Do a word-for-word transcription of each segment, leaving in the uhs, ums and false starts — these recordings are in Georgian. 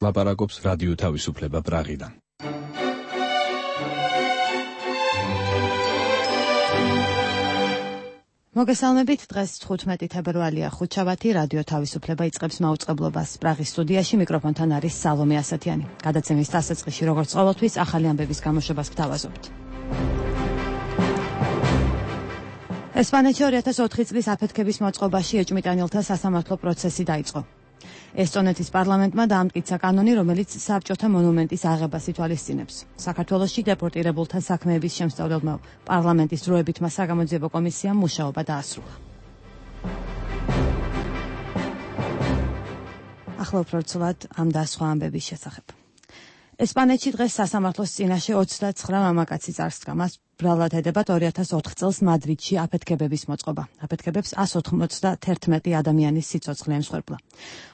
ლაპარაკობს რადიო თავისუფლება პრაღიდან. მოგესალმებით, დღეს თხუთმეტი თებერვალია, ხუთშაბათი, რადიო თავისუფლება იწყებს მაუწყებლობას. პრაღის სტუდიაში მიკროფონთან არის სალომე ასათიანი. გადაცემის დასაწყისში, როგორც ყოველთვის, ახალი ამბების გამოშვებას გთავაზობთ. ესპანეთში ორი ათას ოთხი წლის აფეთქების მოწყობაში ეჭვმიტანილთა სასამართლო პროცესი დაიწყო. ესტონეთის პარლამენტმა დაამტკიცა კანონი, რომელიც საბჭოთა მონუმენტის აღებას ითვალისწინებს. საქართველოში დეპორტირებულთა საქმეების შემსწავლელმა პარლამენტის დროებითმა საგამოძიებო კომისიამ მუშაობა დაასრულა. ახლა უფრო ცუდად ამ და სხვა ამბების შესახებ. ესპანეთში დღეს სასამართლოს წინაშე ოცდაცხრა მამაკაცი წარსდგა. მას ბრალად ედებათ ორი ათას ოთხ წელს მადრიდში აფეთქებების მოწყობა. აფეთქებებს ას ოთხმოცდაერთმეტი ადამიანის სიცოცხლე ემსხვერპლა.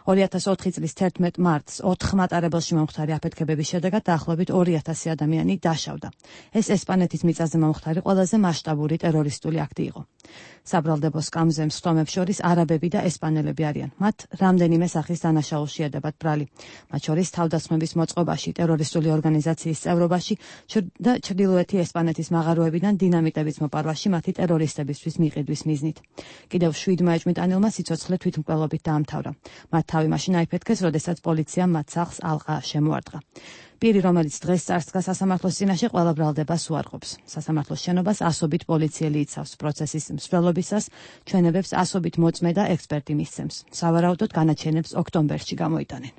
ორი ათას ოთხი წლის თერთმეტ მარტს ოთხ მატარებელში მომხდარი აფეთქებების შედეგად დაახლოებით ორი ათასი ადამიანი დაშავდა. ეს ესპანეთის მიწაზე მომხდარი ყველაზე მასშტაბური ტერორისტული აქტი იყო. საბრალდებო სკამზე მსხდომებს შორის არაბები და ესპანელები არიან. მათ რამდენიმე სახის დანაშაულში ედებათ ბრალი. მათ შორის თავდასხმების მოწყობაში, ტერორისტული ორგანიზაციის წევრობაში და ჩრდილოეთი ესპანეთის მაღაროებიდან დინამიტების მოპარვაში მათი ტერორისტებისთვის მიყიდვის მიზნით. კიდევ შვიდმა ეჭვმიტანილმა სიცოცხლე თვითმკვლელობით დაამთავრა. მათ თავი მაშინ აიფეთქეს, როდესაც პოლიციამ მათ სახლს ალყა შემოარტყა. პირი, რომელიც დღეს წარსდგა სასამართლოს წინაშე, ყველა ბრალდებას უარყოფს. სასამართლოს შენობას ასობით პოლიციელი იცავს. პროცესის მსვლელობისას ჩვენებებს ასობით მოწმე და ექსპერტი მისცემს. სავარაუდოდ განაჩენებს ოქტომბერში გამოიტანენ.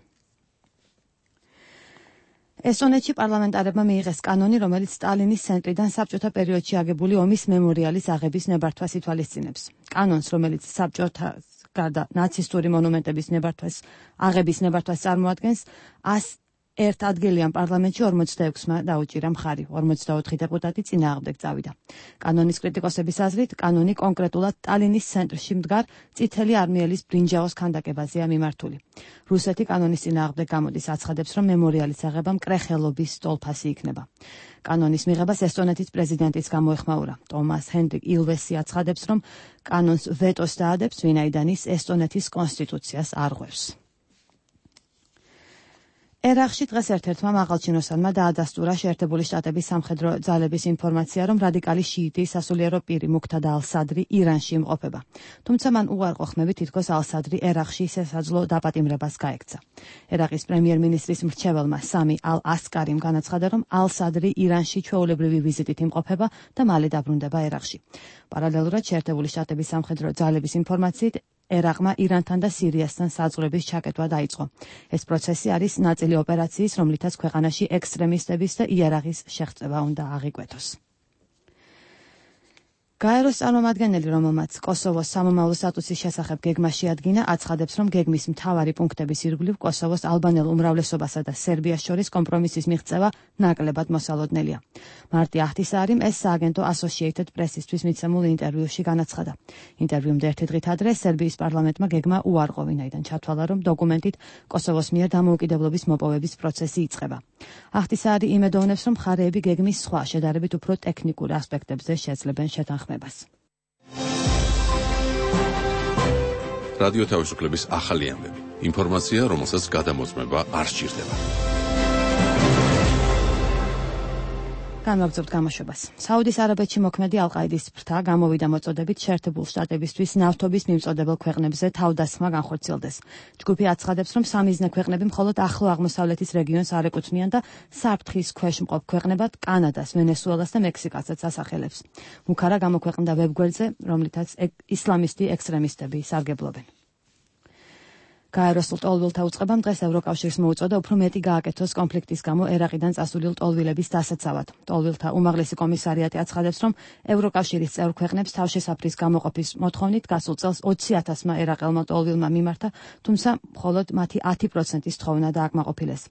ესტონეთში პარლამენტარებმა მიიღეს კანონი, რომელიც სტალინის ცენტრიდან საბჭოთა პერიოდში აგებული ომის მემორიალის აღების ნებართვას ითვალისწინებს. კანონს, რომელიც საბჭოთა გარდა ნაცისტური მონუმენტების ნებართვას აღების ნებართვას წარმოადგენს, ას ერთ ადგილიან პარლამენტში ორმოცდაექვსმა დაუჭირა მხარი, ორმოცდაოთხი დეპუტატი წინააღმდეგ წავიდა. კანონის კრიტიკოსების აზრით, კანონი კონკრეტულად სტალინის ცენტრში მდგარ წითელი არმიელის ბრინჯაოს ქანდაკებაზეა მიმართული. რუსეთი კანონის წინააღმდეგ გამოდის, აცხადებს, რომ მემორიალის აღება მკრეხელობის სტოლფასი იქნება. კანონის მიღებას ესტონეთის პრეზიდენტიც გამოეხმაურა. ტომას ჰენდრიკ ილვესი აცხადებს, რომ კანონს ვეტოს დაადებს, ვინაიდან ის ესტონეთის კონსტიტუციას არღვევს. ერაყში დღეს ერთ-ერთმა მაღალჩინოსანმა დაადასტურა შეერთებული შტატების სამხედრო ძალების ინფორმაცია, რომ რადიკალი შიიტი სასულიერო პირი მუქთად ალ-სადრი ირანში იმყოფება. თუმცა მან უარყო ხმები, თითქოს ალ-სადრი ერაყში სასაძლო დაპატიმრებას გაექცა. ერაყის პრემიერ-მინისტრის მრჩეველმა სამი ალ-ასკარიმ განაცხადა, რომ ალ-სადრი ირანში ჩვეულებრივი ვიზიტით იმყოფება და მალე დაბრუნდება ერაყში. პარალელურად შეერთებული შტატების სამხედრო ძალების ინფორმაციით ერაყმა ირანთან და სირიასთან საზღვრების ჩაკეტვა დაიწყო. ეს პროცესი არის ნაწილი ოპერაციის, რომლითაც ქვეყანაში ექსტრემისტების და იარაღის შეღწევა უნდა აღიკვეთოს. გაეროს წარმომადგენელი, რომელმაც კოსოვოს სამომავლო სტატუსის შესახებ გეგმა შეადგინა, აცხადებს, რომ გეგმის მთავარი პუნქტების ირგვლივ კოსოვოს ალბანელ უმრავლესობასა და სერბიას შორის კომპრომისის მიღწევა ნაკლებად მოსალოდნელია. მარტი აჰთისარიმ ეს სააგენტო Associated Press-ისთვის მიცემულ ინტერვიუში განაცხადა. ინტერვიუმდე ერთი დღით ადრე სერბიის პარლამენტმა გეგმა უარყო, ვინაიდან ჩათვალა, რომ დოკუმენტით კოსოვოს მიერ დამოუკიდებლობის მოპოვების პროცესი იწყება. აჰთისარი იმედოვნებს, რომ მხარეები გეგმის სხვა, შედარებით უფრო ტექნიკურ ასპექტებზე შეძლებენ შეთანხმებას. რადიო თავისუფლების ახალი ამბები. ინფორმაცია, რომელსაც გადამოწმება არ სჭირდება. განვაგრძობთ გამოშვებას. საუდის არაბეთში მოქმედი ალ-ყაიდის ფრთა გამოვიდა მოწოდებით შეერთებულ შტატებისთვის ნავთობის მიმწოდებელ ქვეყნებზე თავდასხმა განხორციელდეს. ჯგუფი აცხადებს, რომ სამიზნე ქვეყნები მხოლოდ ახლო აღმოსავლეთის რეგიონს არ ეკუთვნიან და საფრთხის ქვეშ მყოფ ქვეყნებად კანადას, ვენესუელას და მექსიკასაც ასახელებს. მუქარა გამოქვეყნდა ვებგვერდზე, რომლითაც ისლამისტი ექსტრემისტები სარგებლობენ. გაეროს ლტოლვილთა უწყებამ დღეს ევროკავშირს მოუწოდა უფრო მეტი გააკეთოს კონფლიქტის გამო ერაყიდან წასული ლტოლვილების დასაცავად. ლტოლვილთა უმაღლესი კომისარიატი აცხადებს, რომ ევროკავშირის წევრ ქვეყნებს თავშესაფრის გამოყოფის მოთხოვნით გასულ წელს ოცი ათასმა ერაყელმა ლტოლვილმა მიმართა, თუმცა მხოლოდ მათი ათი პროცენტის თხოვნა დააკმაყოფილეს.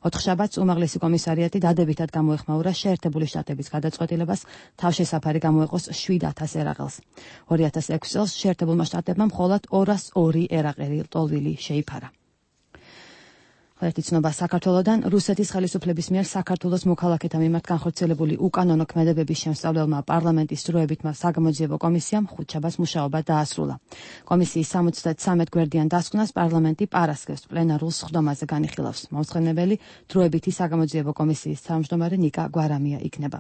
ოთხშაბათს უმაღლესი კომისარიატი დადებითად გამოეხმაურა შეერთებული შტატების გადაწყვეტილებას თავშესაფარი გამოეყოს შვიდ ათას ერაყელს. ორი ათას ექვსი წელს შეერთებულმა შტატებმა მხოლოდ ორას ორი ერაყელი ლტოლვილი შეიფარა. ერთი ცნობა საქართველოდან. რუსეთის ხელისუფლების მიერ საქართველოს მოქალაქეთა მიმართ განხორციელებული უკანონო ქმედებების შემსწავლელმა პარლამენტის დროებითმა საგამოძიებო კომისიამ ხუთშაბათს მუშაობა დაასრულა. კომისიის სამოცდათრამეტ გვერდიან დასკვნას პარლამენტი პარასკევს პლენარულ სხდომაზე განიხილავს. მომხსენებელი დროებითი საგამოძიებო კომისიის თავმჯდომარე ნიკა გვარამია იქნება.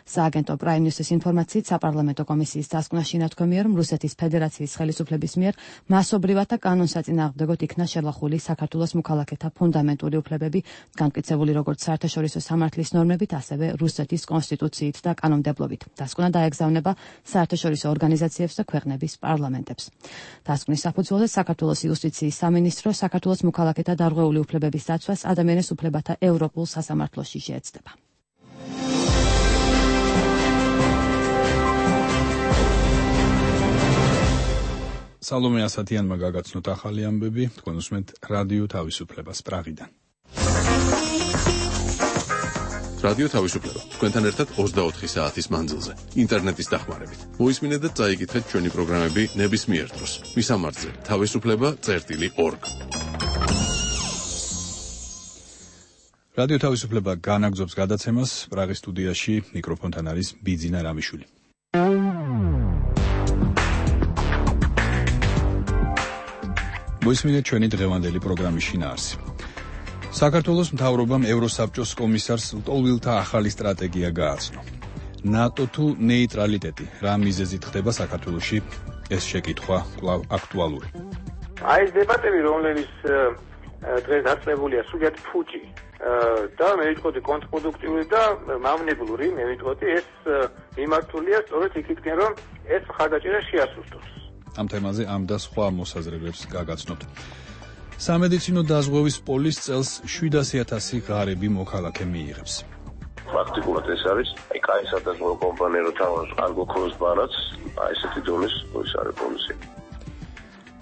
სააგენტო Prime News-ის ინფორმაციით საპარლამენტო კომისიის დასკვნაში ნათქვამია, რომ რუსეთის ფედერაციის ხელისუფლების მიერ მასობრივად და კანონსაწინააღმდეგოდ იქნა შელახული საქართველოს მოქალაქეთა ფუნდამენტური უფლებები, განმტკიცებული როგორც საერთაშორისო სამართლის ნორმებით, ასევე რუსეთის კონსტიტუციით და კანონმდებლობით. დასკვნა დაეგზავნება საერთაშორისო ორგანიზაციებს და ქვეყნების პარლამენტებს. დასკვნის საფუძველზე საქართველოს იუსტიციის სამინისტრო საქართველოს მოქალაქეთა დარღვეული უფლებების დაცვას ადამიანის უფლებათა ევროპულ სასამართლოში შეეცდება. სალომე ასათიანმა გაგაცნოთ ახალი ამბები, თქვენ უსმენთ რადიო თავისუფლებას პრაღიდან. რადიო თავისუფლება თქვენთან ერთად ოცდაოთხი საათის მანძილზე, ინტერნეტის დახმარებით. მოისმინეთ და წაიკითხეთ ჩვენი პროგრამები ნებისმიერ დროს. მისამართზე თავისუფლება წერტილი ორგ. რადიო თავისუფლება განაგრძობს გადაცემას, პრაღის სტუდიაში მიკროფონთან არის ბიძინა რამიშვილი. მოისმინეთ ჩვენი დღევანდელი პროგრამის შინაარსი. საქართველოს მთავრობამ ევროსაბჭოს კომისარს ლტოლვილთა ახალი სტრატეგია გააცნო. ნატო თუ ნეიტრალიტეტი, რა მიზეზით ხდება საქართველოში, ეს შეკითხვა კვლავ აქტუალური. აი ეს დებატები, რომლებიც დღეს დაწყებულია, სულიად ფუჭი და მე ვიტყოდი კონტრპროდუქტიული და მავნებლური, მე ვიტყოდი ეს მიმართულია სწორედ იქითკენ, რომ ეს მხარდაჭერა შეასრულოს. ამ თემაზე ამ და სხვა მოსაზრებებს გაგაცნობთ. სამედიცინო დაზღვევის პოლის წელს შვიდასი ათასი ღარიბი მოქალაქე მიიღებს. Practically ეს არის აი კაი სადაზღვევო კომპანია რო თავის არ გქონს ბანაც, აი ესეთი დონის პოლიცია პოლიცია.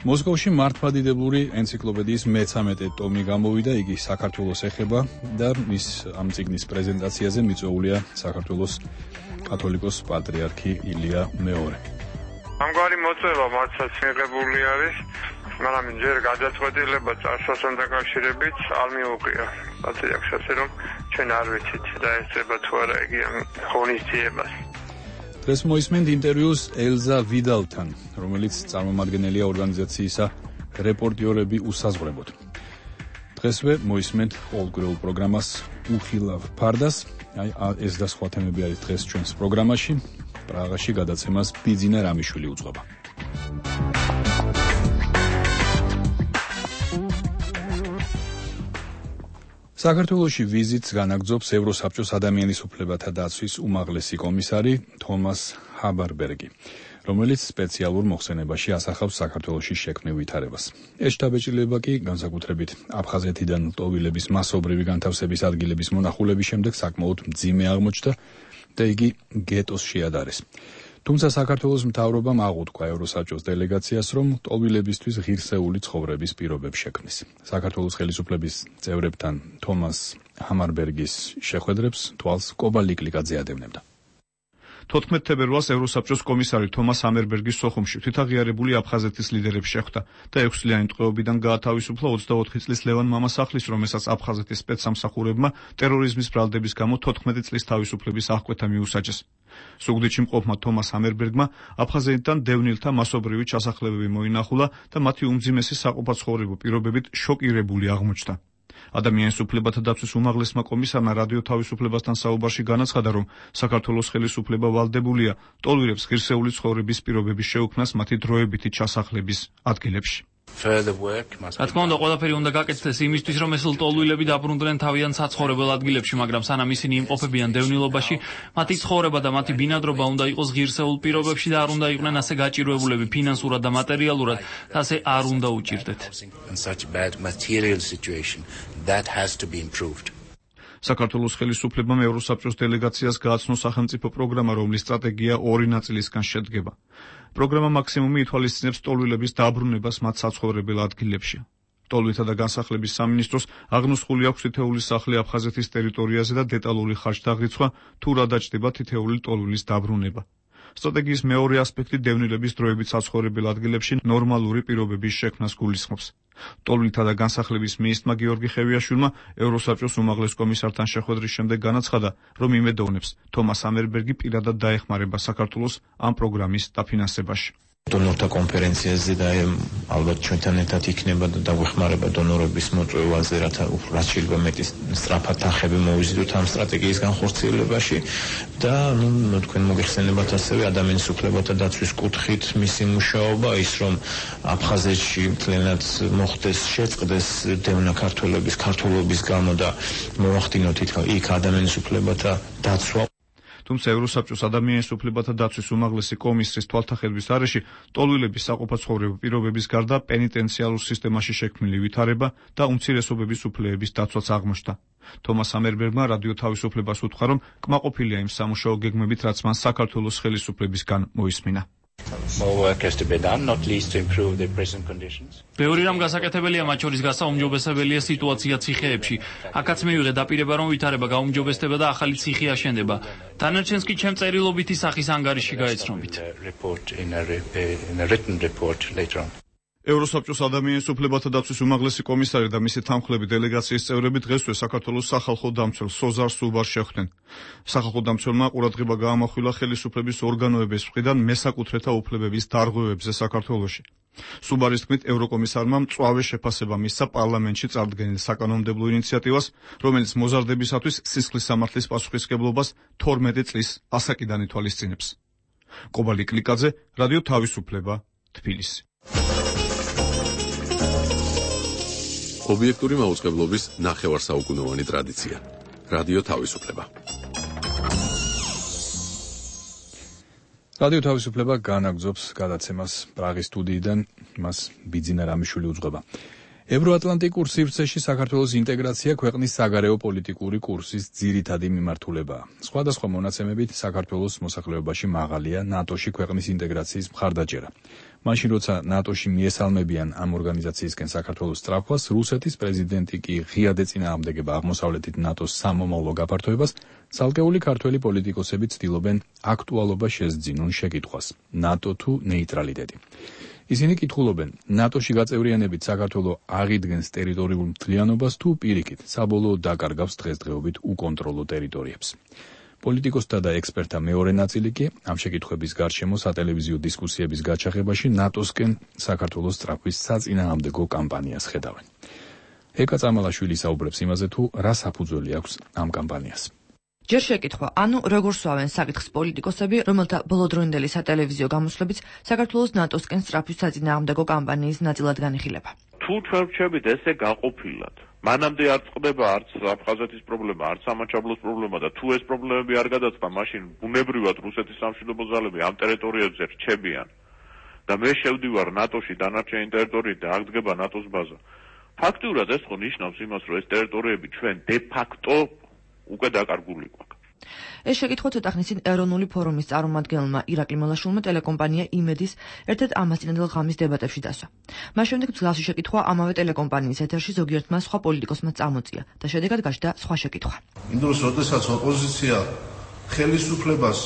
მოსკოვში მართლმადიდებლური ენციკლოპედიის მეცამეტე ტომი გამოვიდა, იგი საქართველოს ეხება და მის ამ წიგნის პრეზენტაციაზე მიწვეულია საქართველოს კათოლიკოს პატრიარქი ილია მეორე. ამგვარი მოწვევა მართლაც მიღებული არის, მაგრამ ჯერ გადაწყვეტილება წარსულთან დაკავშირებით არ მიუღია. პატრიარქს ასე რომ ჩვენ არ ვიცით და ესწრება თუ არა იგი ამ ღონისძიებას. დღეს მოისმენთ ინტერვიუს ელზა ვიდალთან, რომელიც წარმომადგენელია ორგანიზაციისა რეპორტიორები უსაზღვრებოდ. დღესვე მოისმენთ ყოველკვირეულ პროგრამას უხილავ ფარდას, აი ეს და სხვა თემები არის დღეს ჩვენს პროგრამაში. პრაღაში გადაცემას ბიძინა რამიშვილი უძღვება. საქართველოში ვიზიტს განაგრძობს ევროსაბჭოს ადამიანის უფლებათა დაცვის უმაღლესი კომისარი თომას ჰაბარბერგი, რომელიც სპეციალურ მოხსენებაში ასახავს საქართველოში შექმნილ ვითარებას. ეს შთაბეჭდილება კი განსაკუთრებით აფხაზეთიდან ლტოლვილების მასობრივი განთავსების ადგილების მონახულების შემდეგ საკმაოდ მძიმე აღმოჩნდა და იგი გეტოს შეადარეს. თუმცა საქართველოს მთავრობამ აღუთქვა ევროსაბჭოს დელეგაციას, რომ ლტოლვილებისთვის ღირსეული ცხოვრების პირობებს შექმნის. საქართველოს ხელისუფლების წევრებთან თომას ჰამარბერგის შეხვედრებს თვალს კობა ლიკლიკაძე ადევნებდა. თოთხმეტ თებერვალს ევროსაბჭოს კომისარი თომას ჰამერბერგის სოხუმში თვითაღიარებული აფხაზეთის ლიდერებს შეხვდა და ექვსწლიანი ტყვეობიდან გაათავისუფლა ოცდაოთხი წლის ლევან მამასახლის, რომელსაც აფხაზეთის სპეცსამსახურებმა ტერორიზმის ბრალდების გამო თოთხმეტი წლის თავისუფლების აღკვეთა მიუსაჯეს. სუგდიდში მყოფმა თომას ჰამერბერგმა აფხაზეთიდან დევნილთა მასობრივი ჩასახლებები მოინახულა და მათი უმძიმესი საყოფაცხოვრებო პირობებით შოკირებული აღმოჩნდა. ადამიანის უფლებათა დაცვის უმაღლესმა კომისარმა რადიო თავისუფლებასთან საუბარში განაცხადა, რომ საქართველოს ხელისუფლება ვალდებულია ლტოლვილებს ღირსეული ცხოვრების პირობების შეუქმნას მათი დროებითი ჩასახლების ადგილებში. რა თქმა უნდა, ყველაფერი უნდა გაკეთდეს იმისთვის, რომ ეს ლტოლვილები დაბრუნდნენ თავიანთ საცხოვრებელ ადგილებში, მაგრამ სანამ ისინი იმყოფებიან დევნილობაში, მათი ცხოვრება და მათი ბინადრობა უნდა იყოს ღირსეულ პირობებში და არ უნდა იყვნენ ასე გაჭირვებულები ფინანსურად და მატერიალურად, და ასე არ უნდა უჭირდეთ. საქართველოს ხელისუფლებამ ევროსაბჭოს დელეგაციას გააცნო სახელმწიფო პროგრამა, რომლის სტრატეგია ორი ნაწილისგან შედგება. პროგრამა მაქსიმუმი ითვალისწინებს ლტოლვილების დაბრუნებას მათ საცხოვრებელ ადგილებში. ლტოლვილთა და განსახლების სამინისტროს აღნუსხული აქვს თითეული სახლი აფხაზეთის ტერიტორიაზე და დეტალური ხარჯდაღრიცხვა თუ რა დაჭდება თითეული ლტოლვილის დაბრუნება. სტრატეგიის მეორე ასპექტი დევნილების დროებით საცხოვრებელ ადგილებში ნორმალური პირობების შექმნას გულისხმობს. ტოლვილთა და განსახლების მინისტრმა გიორგი ხევიაშვილმა ევროსაბჭოს უმაღლეს კომისართან შეხვედრის შემდეგ განაცხადა, რომ იმედოვნებს თომას ამერბერგი პირადად დაეხმარება საქართველოს ამ პროგრამის დაფინანსებაში. დონორთა კონფერენციაზე და ალბათ ჩვენთან ერთად იქნება და დაგვეხმარება დონორების მოწვევაზე, რათა რაც შეიძლება მეტი სწრაფად თანხები მოვიზიდოთ ამ სტრატეგიის განხორციელებაში და ნუ თქვენ მოგეხსენებათ ასევე ადამიანის უფლებათა დაცვის კუთხით მისი მუშაობა, ის რომ აფხაზეთში მთლიანად მოხდეს შეწყდეს დევნა ქართველების ქართველობის გამო და მოახდინოთ იქ ადამიანის უფლებათა დაცვა. თუმცა ევროსაბჭოს ადამიანის უფლებათა დაცვის უმაღლესი კომისრის თვალთახედვის არეში ტოლვილების საყოფაცხოვრებო პირობების გარდა პენიტენციალურ სისტემაში შექმნილი ვითარება და უმცირესობების უფლებების დაცვაც აღმოჩნდა. თომას ამერბერგმა რადიო თავისუფლებას უთხრა, რომ კმაყოფილია იმ სამუშაო გეგმებით, რაც მან საქართველოს ხელისუფლებისგან მოისმინა. ბევრი რამ გასაკეთებელია, მათ შორის გასაუმჯობესებელია სიტუაცია ციხეებში. აქაც მივიღე დაპირება, რომ ვითარება გაუმჯობესდება და ახალი ციხე აშენდება. დანარჩენს კი ჩემ წერილობითი სახის ანგარიში გაეცნობით. ევროსაბჭოს ადამიანის უფლებათა დაცვის უმაღლესი კომისარი და მისი თანმხლები დელეგაციის წევრები დღესვე საქართველოს სახალხო დამცველ სოზარ სუბარს შეხვდნენ. სახალხო დამცველმა ყურადღება გაამახვილა ხელისუფლების ორგანოების მხრიდან მესაკუთრეთა უფლებების დარღვევებზე საქართველოში. სუბარის თქმით, ევროკომისარმა მწვავე შეფასება მისცა პარლამენტში წარდგენილ საკანონმდებლო ინიციატივას, რომელიც მოზარდებისათვის სისხლის სამართლის პასუხისმგებლობას თორმეტი წლის ასაკიდან ითვალისწინებს. კობალი კლიკაძე, რადიო თავისუფლება, თბილისი. ობიექტური მაუწყებლობის ნახევარსაუკუნოვანი ტრადიცია. რადიო თავისუფლება. რადიო თავისუფლება განაგრძობს გადაცემას პრაღის სტუდიიდან, მას ბიძინა რამიშვილი უძღვება. ევროატლანტიკურ სივრცეში საქართველოს ინტეგრაცია ქვეყნის საგარეო პოლიტიკური კურსის ძირითადი მიმართულებაა. სხვადასხვა მონაცემებით საქართველოს მოსახლეობაში მაღალია ნატოში ქვეყნის ინტეგრაციის მხარდაჭერა. მაშინ როცა ნატოში მიესალმებიან ამ ორგანიზაციისკენ საქართველოს სწრაფვას, რუსეთის პრეზიდენტი კი ღიად ეწინააღმდეგება აღმოსავლეთით ნატოს სამომავლო გაფართოებას, ცალკეული ქართველი პოლიტიკოსები ცდილობენ აქტუალობა შესძინონ შეკითხვას: ნატო თუ ნეიტრალიტეტი. ისინი კითხულობენ, ნატოში გაწევრიანებით საქართველო აღიდგენს ტერიტორიულ მთლიანობას თუ პირიქით, საბოლოოდ დაკარგავს დღესდღეობით უკონტროლო ტერიტორიებს. პოლიტიკოსთა და ექსპერტთა მეორე ნაწილი კი ამ შეკითხვების გარშემო სატელევიზიო დისკუსიების გაჩაღებაში ნატოსკენ საქართველოს სწრაფვის საწინააღმდეგო კამპანიას ხედავენ. ეკა წამალაშვილი საუბრებს იმაზე, თუ რა საფუძველი აქვს ამ კამპანიას. ჯერ შეკითხვა, ანუ როგორ სვავენ საკითხს პოლიტიკოსები, რომელთა ბოლოდროინდელი სატელევიზიო გამოსვლებიც საქართველოს ნატოსკენ სწრაფვის საწინააღმდეგო კამპანიის ნაწილად განიხილება. თუ ჩვენ ვჩებით ესე გაყოფილად, მანამდე არ წყდება არც აფხაზეთის პრობლემა, არც სამაჩაბლოს პრობლემა და თუ ეს პრობლემები არ გადაწყდა, მაშინ ბუნებრივად რუსეთის სამშვიდობო ძალები ამ ტერიტორიებზე რჩებიან და მე შევდივარ ნატოში დანარჩენი ტერიტორიით და აღდგება ნატოს ბაზა. ფაქტიურად ეს ხო ნიშნავს იმას, რომ ეს ტერიტორიები ჩვენ დე ფაქტო უკვე დაკარგული გვაქვს. ეს შეკითხვა ცოტა ხნის წინ ეროვნული ფორუმის წარმომადგენელმა ირაკლი მელაშვილმა ტელეკომპანია იმედის ერთ-ერთ ამასწინებელ ღამის დებატებში დასვა. მას შემდეგ მსგავსი შეკითხვა ამავე ტელეკომპანიის ეთერში ზოგიერთმა სხვა პოლიტიკოსმა წამოწია და შედეგად გაჩნდა სხვა შეკითხვა. იმ დროს, როდესაც ოპოზიცია ხელისუფლებას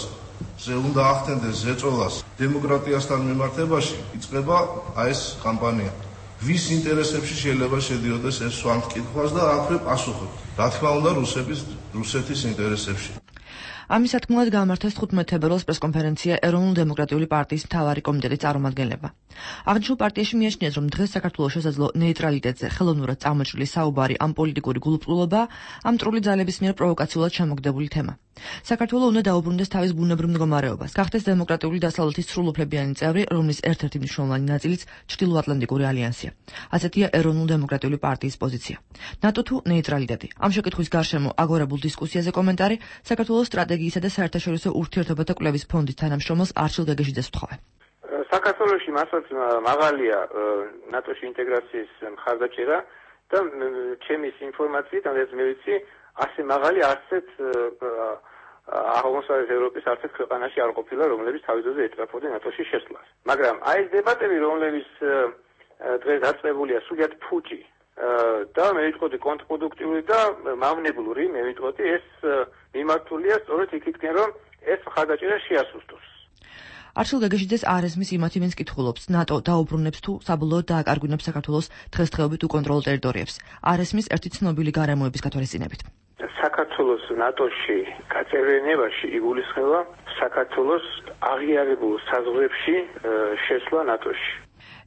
ზე უნდა ახდენდეს ზეწოლას დემოკრატიასთან მიმართებაში, იწყება აი ეს კამპანია. ვის ინტერესებში შეიძლება შედიოდეს ეს სვამ კითხვას და აქვე პასუხობ. რა თქმა უნდა, რუსების რუსეთის ინტერესებში. ამის სათქმელად გამართეს თხუთმეტ თებერვალს პრესკონფერენცია ეროვნულ-დემოკრატიული პარტიის მთავარი კომიტეტის წარმომადგენლებმა. აღნიშნულ პარტიაში მიაჩნიეს, რომ დღეს საქართველოს შესაძლო ნეიტრალიტეტზე ხელოვნურად წამოჭრილი საუბარი ამ პოლიტიკური გულუბრყვილობაა ამ მტრული ძალების მიერ პროვოკაციულად შემოგდებული თემა. საქართველო უნდა დაუბრუნდეს თავის ბუნებრივ მდგომარეობას, გახდეს დემოკრატიული დასავლეთის სრულუფლებიანი წევრი, რომლის ერთ-ერთი მნიშვნელოვანი ნაწილიც ჩრდილოატლანტიკური ალიანსია. ასეთია ეროვნულ-დემოკრატიული პარტიის პოზიცია. ნატო თუ ნეიტრალიტეტი. ამ შეკითხვის გარშემო აგორებულ დისკუსიაზე კომენტარი საქართველოს სტრატეგიისა და საერთაშორისო ურთიერთობათა კვლევის ფონდის თანამშრომელს არჩილ გეგეშიძეს ვთხოვე. საქართველოში მასაც მაღალია ნატოში ინტეგრაციის მხარდაჭერა და ჩემის ინფორმაციით, ამას მე ვიცი, ასე მაღალი არცეთ აღმოსავლეთ ევროპის არცეთ ქვეყანაში არ ყოფილა, რომლებიც თავიდანვე ეწრაფოდნენ ნატოში შესვლას. მაგრამ აი ეს დებატები, რომლებიც დღეს დაწყებულია, სულიად ფუჭი და მე ვიტყოდი კონტრპროდუქტიული და მავნებლური, მე ვიტყოდი ეს მიმართულია სწორედ იქითკენ, რომ ეს მხარდაჭერა შეასუსტოს. არჩილ გეგეშიძეს არესმის იმათივენს კითხულობს, ნატო დაუბრუნებს თუ საბოლოოდ დააკარგვინებს საქართველოს დღესდღეობით უკონტროლ ტერიტორიებს. არესმის ერთი ცნობილი გარემოების გათვალისწინებით. საქართველოს ნატოში გაწევრიანებაში იგულისხმება საქართველოს აღიარებულ საზღვრებში შესვლა ნატოში.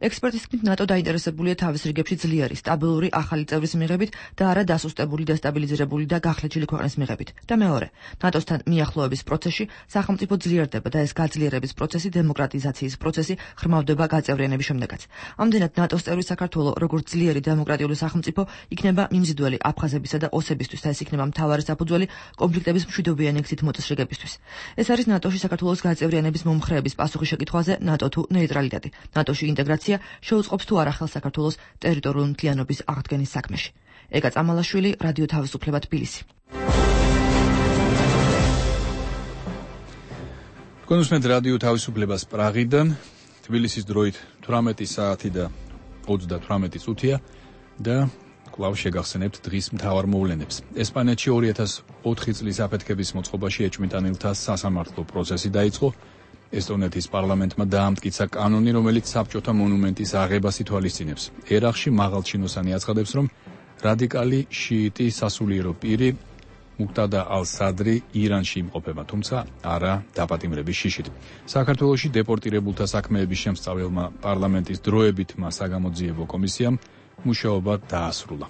ექსპერტის თქმით, ნატო დაინტერესებულია თავის რიგებში ძლიერი, სტაბილური ახალი წევრის მიღებით და არა დასუსტებული, დესტაბილიზირებული და გახლეჩილი ქვეყნის მიღებით. და მეორე, ნატოსთან მიახლოების პროცესში სახელმწიფო ძლიერდება და ეს გაძლიერების პროცესი, დემოკრატიზაციის პროცესი ღრმავდება გაწევრიანების შემდეგაც. ამდენად ნატოს წევრი საქართველო, როგორც ძლიერი დემოკრატიული სახელმწიფო, იქნება მიმზიდველი აფხაზებისა და ოსებისთვის და ეს იქნება მთავარი საფუძველი კონფლიქტების მშვიდობიანი ეგზით მოწესრიგებისთვის. ეს არის ნატოში საქართველოს გაწევრიანების მომხრეების პასუხი შეკითხვაზე ნატო თუ ნეიტრალიტეტი. ნატოში ინტეგრაცია შეუწყობს თუ არა ხელს საქართველოს ტერიტორიული მთლიანობის აღდგენის საქმეში. ეგა წამალაშვილი, რადიო თავისუფლება, თბილისი. თქვენ უსმენთ რადიო თავისუფლებას პრაღიდან, თბილისის დროით თვრამეტი საათი და ოცდათვრამეტი წუთია და კვლავ შეგახსენებთ დღის მთავარ მოვლენებს. ესპანეთში ორი ათას ოთხი წლის აფეთქების მოწყობაში ეჭვმიტანილთა სასამართლო პროცესი დაიწყო. ესტონეთის პარლამენტმა დაამტკიცა კანონი, რომელიც საბჭოთა მონუმენტის აღებას ითვალისწინებს. ერაყში მაღალჩინოსანი აცხადებს, რომ რადიკალი შიიტი სასულიერო პირი მუქტადა ალ-სადრი ირანში იმყოფება, თუმცა არა დაპატიმრების შიშით. საქართველოში დეპორტირებულთა საქმეების შემსწავლელმა პარლამენტის დროებითმა საგამოძიებო კომისიამ მუშაობა დაასრულა.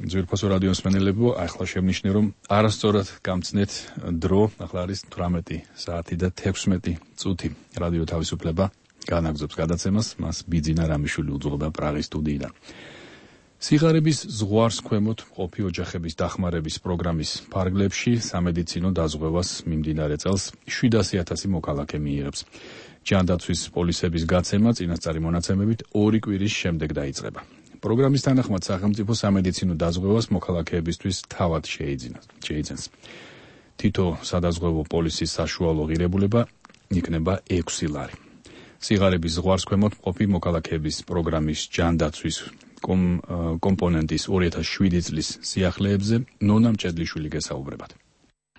ძვირფასო რადიო მსმენელებო, ახლა შევნიშნე, რომ არასწორად გამწნეთ დრო, ახლა არის თვრამეტი საათი და თექვსმეტი წუთი. რადიო თავისუფლება განაგზობს გადაცემას, მას ბიძინა რამიშვილი უძღვება პრაღის სტუდიიდან. სიღარიბის ზღვარს ქვემოთ მყოფი ოჯახების დახმარების პროგრამის ფარგლებში სამედიცინო დაზღვევას მიმდინარე წელს შვიდასი ათასი მოქალაქე მიიღებს. ჯანდაცვის პოლისების გაცემა წინასწარი მონაცემებით ორი კვირის შემდეგ დაიწყება. პროგრამის თანახმად სახელმწიფო სამედიცინო დაზღვევას მოქალაქეებისთვის თავად შეიძენს. თითო სადაზღვევო პოლისის საშუალო ღირებულება იქნება ექვსი ლარი. სიღარიბის ზღვარს ქვემოთ მყოფი მოქალაქეების პროგრამის ჯანდაცვის კომპონენტის ორი ათას შვიდი წლის სიახლეებზე ნონა მჭედლიშვილი გესაუბრებათ.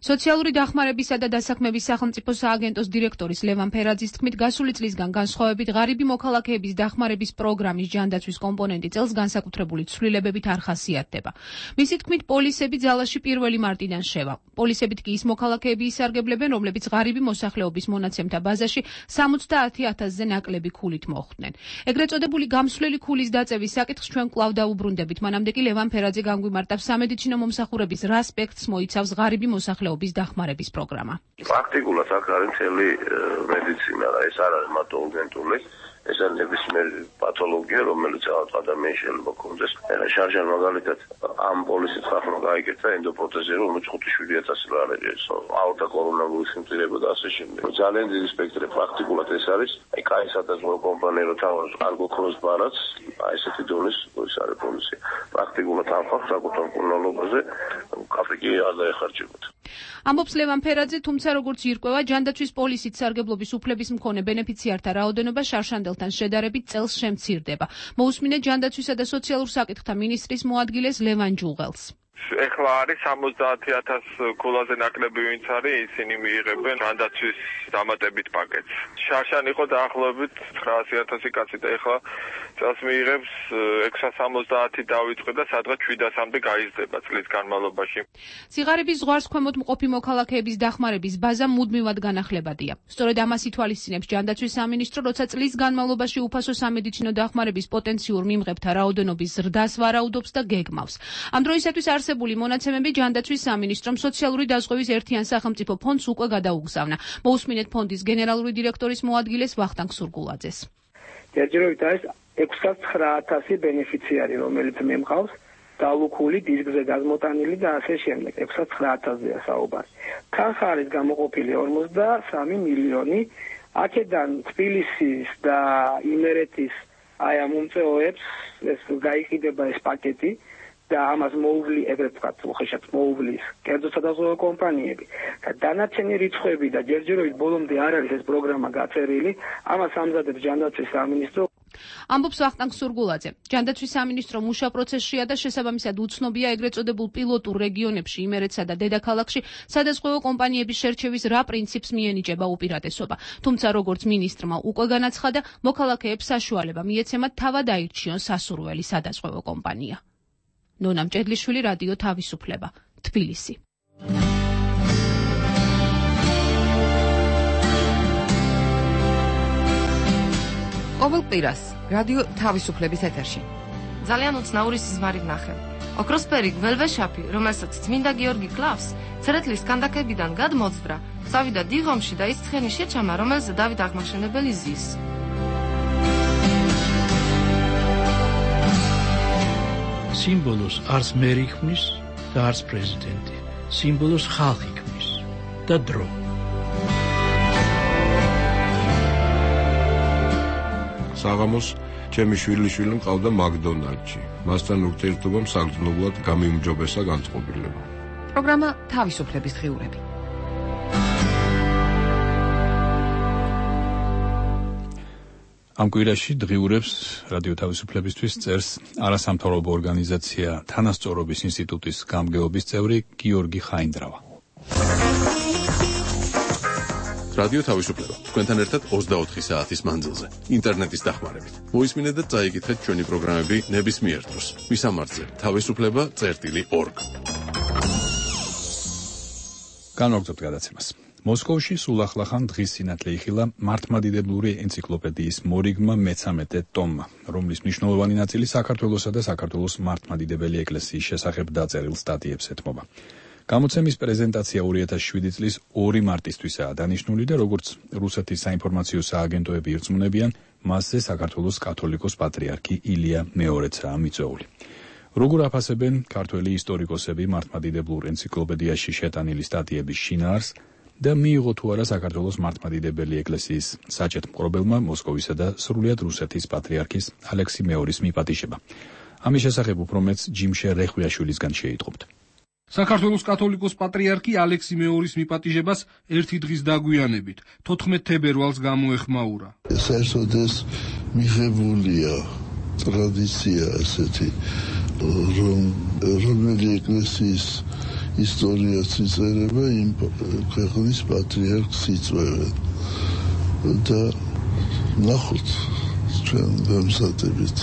სოციალური დახმარებისა და დასაქმების სახელმწიფო სააგენტოს დირექტორის ლევან ფერაძის თქმით, გასული წლისგან განსხვავებით ღარიბი მოქალაქეების დახმარების პროგრამის ჯანდაცვის კომპონენტი წელს განსაკუთრებული ცვლილებებით არ ხასიათდება. მისი თქმით, პოლისები ძალაში პირველი მარტიდან შევა. პოლისებით კი ის მოქალაქეები ისარგებლებენ, რომლებიც ღარიბი მოსახლეობის მონაცემთა ბაზაში სამოცდაათი ათასზე ნაკლები ქულით მოხვდნენ. ეგრეთ წოდებული გამსვლელი ქულის დაწევის საკითხს ჩვენ კვლავ დაუბრუნდებით. მანამდე კი ლევან ფერაძე განგვიმარტავს სამედიცინო მომსახურების რა ასპექტს მოიცავს ღარიბი მოსახლეობის დახმარების პროგრამა. პრაქტიკულად აქ არის მთელი მედიცინა, რა ეს არ არის მარტო ურგენტული, ეს არის ნებისმიერი პათოლოგია, რომელიც ადამიანს შეიძლება კონდეს. შარჟან მაგალითად ამ პოლისით ხახმა გაიგეთა ენდოპროთეზი, რომელიც ხუთი შვიდი ათასი ლარი არის. აორტა კორონავირუსი მტირება და ასე შემდეგ. ძალიან დიდი სპექტრი პრაქტიკულად ეს არის. აი კაი სადაზღვევო კომპანია რო თავად არ გქონდეს ბარაც, აი ესეთი დონის ის არის პოლისი. პრაქტიკულად ამ ხალხს საკუთარ კუნალობაზე კაფე არ დაეხარჯებათ. ამბობს ლევან ფერაძე, თუმცა როგორც ირკვევა, ჯანდაცვის პოლისით სარგებლობის უფლების მქონე ბენეფიციართა რაოდენობა შარშანდელთან შედარებით წელს შემცირდება. მოусმინეთ ჯანდაცვისა და სოციალურ საკითხთა მინისტრის მოადგილეს ლევან ჯუღელს. ეხლა არის სამოცდაათი ათასი ქულაზე ნაკლები ვინც არის, ისინი მიიღებენ ჯანდაცვის დამატებით პაკეტს. შარშან იყო დაახლოებით ცხრაასი ათასი კაცი და ეხლა წელს მიიღებს ექვსასამოცდაათი დავიწყე და სადღაც შვიდასამდე გაიზრდება წლის განმავლობაში. სიღარიბის ზღვარს ქვემოთ მყოფი მოქალაქეების დახმარების ბაზა მუდმივად განახლებადია. სწორედ ამას ითვალისწინებს ჯანდაცვის სამინისტრო, როცა წლის განმავლობაში უფასო სამედიცინო დახმარების პოტენციურ მიმღებთა რაოდენობის ზრდას ვარაუდობს და გეგმავს. ამ დროისათვის არსებული მონაცემები ჯანდაცვის სამინისტრომ სოციალური დაზღვევის ერთიან სახელმწიფო ფონდს უკვე გადაუგზავნა. მოусმინეთ ფონდის გენერალური დირექტორის მოადგილეს ვახტანგ სურგულაძეს. ჯერჯერობით არის ექვსსაცხრაათასი ბენეფიციარი, რომელიც მემყავს დალუქული, დისკზე გაზმოტანილი და ასე შემდეგ. ექვსსაცხრაათასზეა საუბარი. თანხა არის გამოყოფილი ორმოცდასამი მილიონი. აქედან თბილისის და იმერეთის აი ამ მომწეოებს ეს გაიყიდება ეს პაკეტი და ამას მოუვლი, ეგრეთ ვთქვათ, უხეშად მოუვლის კერძო სადაზღვევო კომპანიები და დანარჩენი რიცხვები და ჯერჯერობით ბოლომდე არ არის ეს პროგრამა გაწერილი, ამას ამზადებს ჯანდაცვის სამინისტრო. ამბობს ვახტანგ სურგულაძე. ჯანდაცვის სამინისტრო მუშა პროცესშია და შესაბამისად უცნობია ეგრეთ წოდებულ პილოტურ რეგიონებში, იმერეთსა და დედაქალაქში სადაზღვევო კომპანიების შერჩევის რა პრინციპს მიენიჭება უპირატესობა. თუმცა როგორც მინისტრმა უკვე განაცხადა, მოქალაქეებს საშუალება მიეცემათ თავად აირჩიონ სასურველი სადაზღვევო კომპანია. ნონა მჭედლიშვილი, რადიო თავისუფლება, თბილისი. ყოველ კვირას რადიო თავისუფლების ეთერში ძალიან უცნაური სიზმარი ვნახე. ოქროსფერი გველვეშაფი, რომელსაც წმინდა გიორგი კლავს, ცერეთლის კანდაკებიდან გადმოძვრა, წავიდა დიღომში და ის ცხენი შეჩამა, რომელზე დავით აღმაშენებელი ზის. სიმბოლოს არც მერი ქმნის და არც პრეზიდენტი. სიმბოლოს ხალხი ქმნის და დრო. საღამოს ჩემი შვილიშვილი მყავდა მაკდონალდში. მასთან ურთიერთობამ საგრძნობლად გამიმჯობესა განწყობილება. პროგრამა თავისუფლების დღიურები. ამ კვირაში დღიურებს რადიო თავისუფლებისთვის წერს არასამთავრობო ორგანიზაცია თანასწორობის ინსტიტუტის გამგეობის წევრი გიორგი ხაინდრავა. რადიო თავისუფლება თქვენთან ერთად ოცდაოთხი საათის მანძილზე ინტერნეტის დახმარებით. მოისმინეთ და წაიკითხეთ ჩვენი პროგრამები ნებისმიერ დროს. მისამართზე თავისუფლება წერტილი ორგ. განვაგრძობთ გადაცემას. მოსკოვში სულ ახლახან დღის სინათლე იხილა მართლმადიდებლური ენციკლოპედიის მორიგმა მეცამეტე ტომმა, რომლის მნიშვნელოვანი ნაწილი საქართველოსა და საქართველოს მართლმადიდებელი ეკლესიის შესახებ დაწერილ სტატიებს ეთმობა. გამოცემის პრეზენტაცია ორი ათას შვიდი წლის ორი მარტისთვისაა დანიშნული და როგორც რუსეთის საინფორმაციო სააგენტოები ირწმუნებიან, მასზე საქართველოს კათოლიკოს პატრიარქი ილია მეორეცაა მიწვეული. როგორ აფასებენ ქართველი ისტორიკოსები მართლმადიდებლურ ენციკლოპედიაში შეტანილი სტატიების შინაარს და მიიღო თუ არა საქართველოს მართლმადიდებელი ეკლესიის საჭეთ მკრობელმა მოსკოვისა და სრულიად რუსეთის პატრიარქის ალექსი მეორის მიპატიჟება. ამის შესახებ უფრო მეც ჯიმშე რეხვიაშვილისგან შეიტყობთ. საქართველოს კათოლიკოს პატრიარქი ალექსი მეორის მიპატიჟებას ერთი დღის დაგვიანებით თოთხმეტ თებერვალს გამოეხმაურა. საერთოდ ეს მიღებულია ტრადიცია ასეთი, რომ რომელი ეკლესიის ისტორიას იწერება იმ ქვეყნის პატრიარქს იწვევენ და ნახოთ ჩვენ ვემზადებით.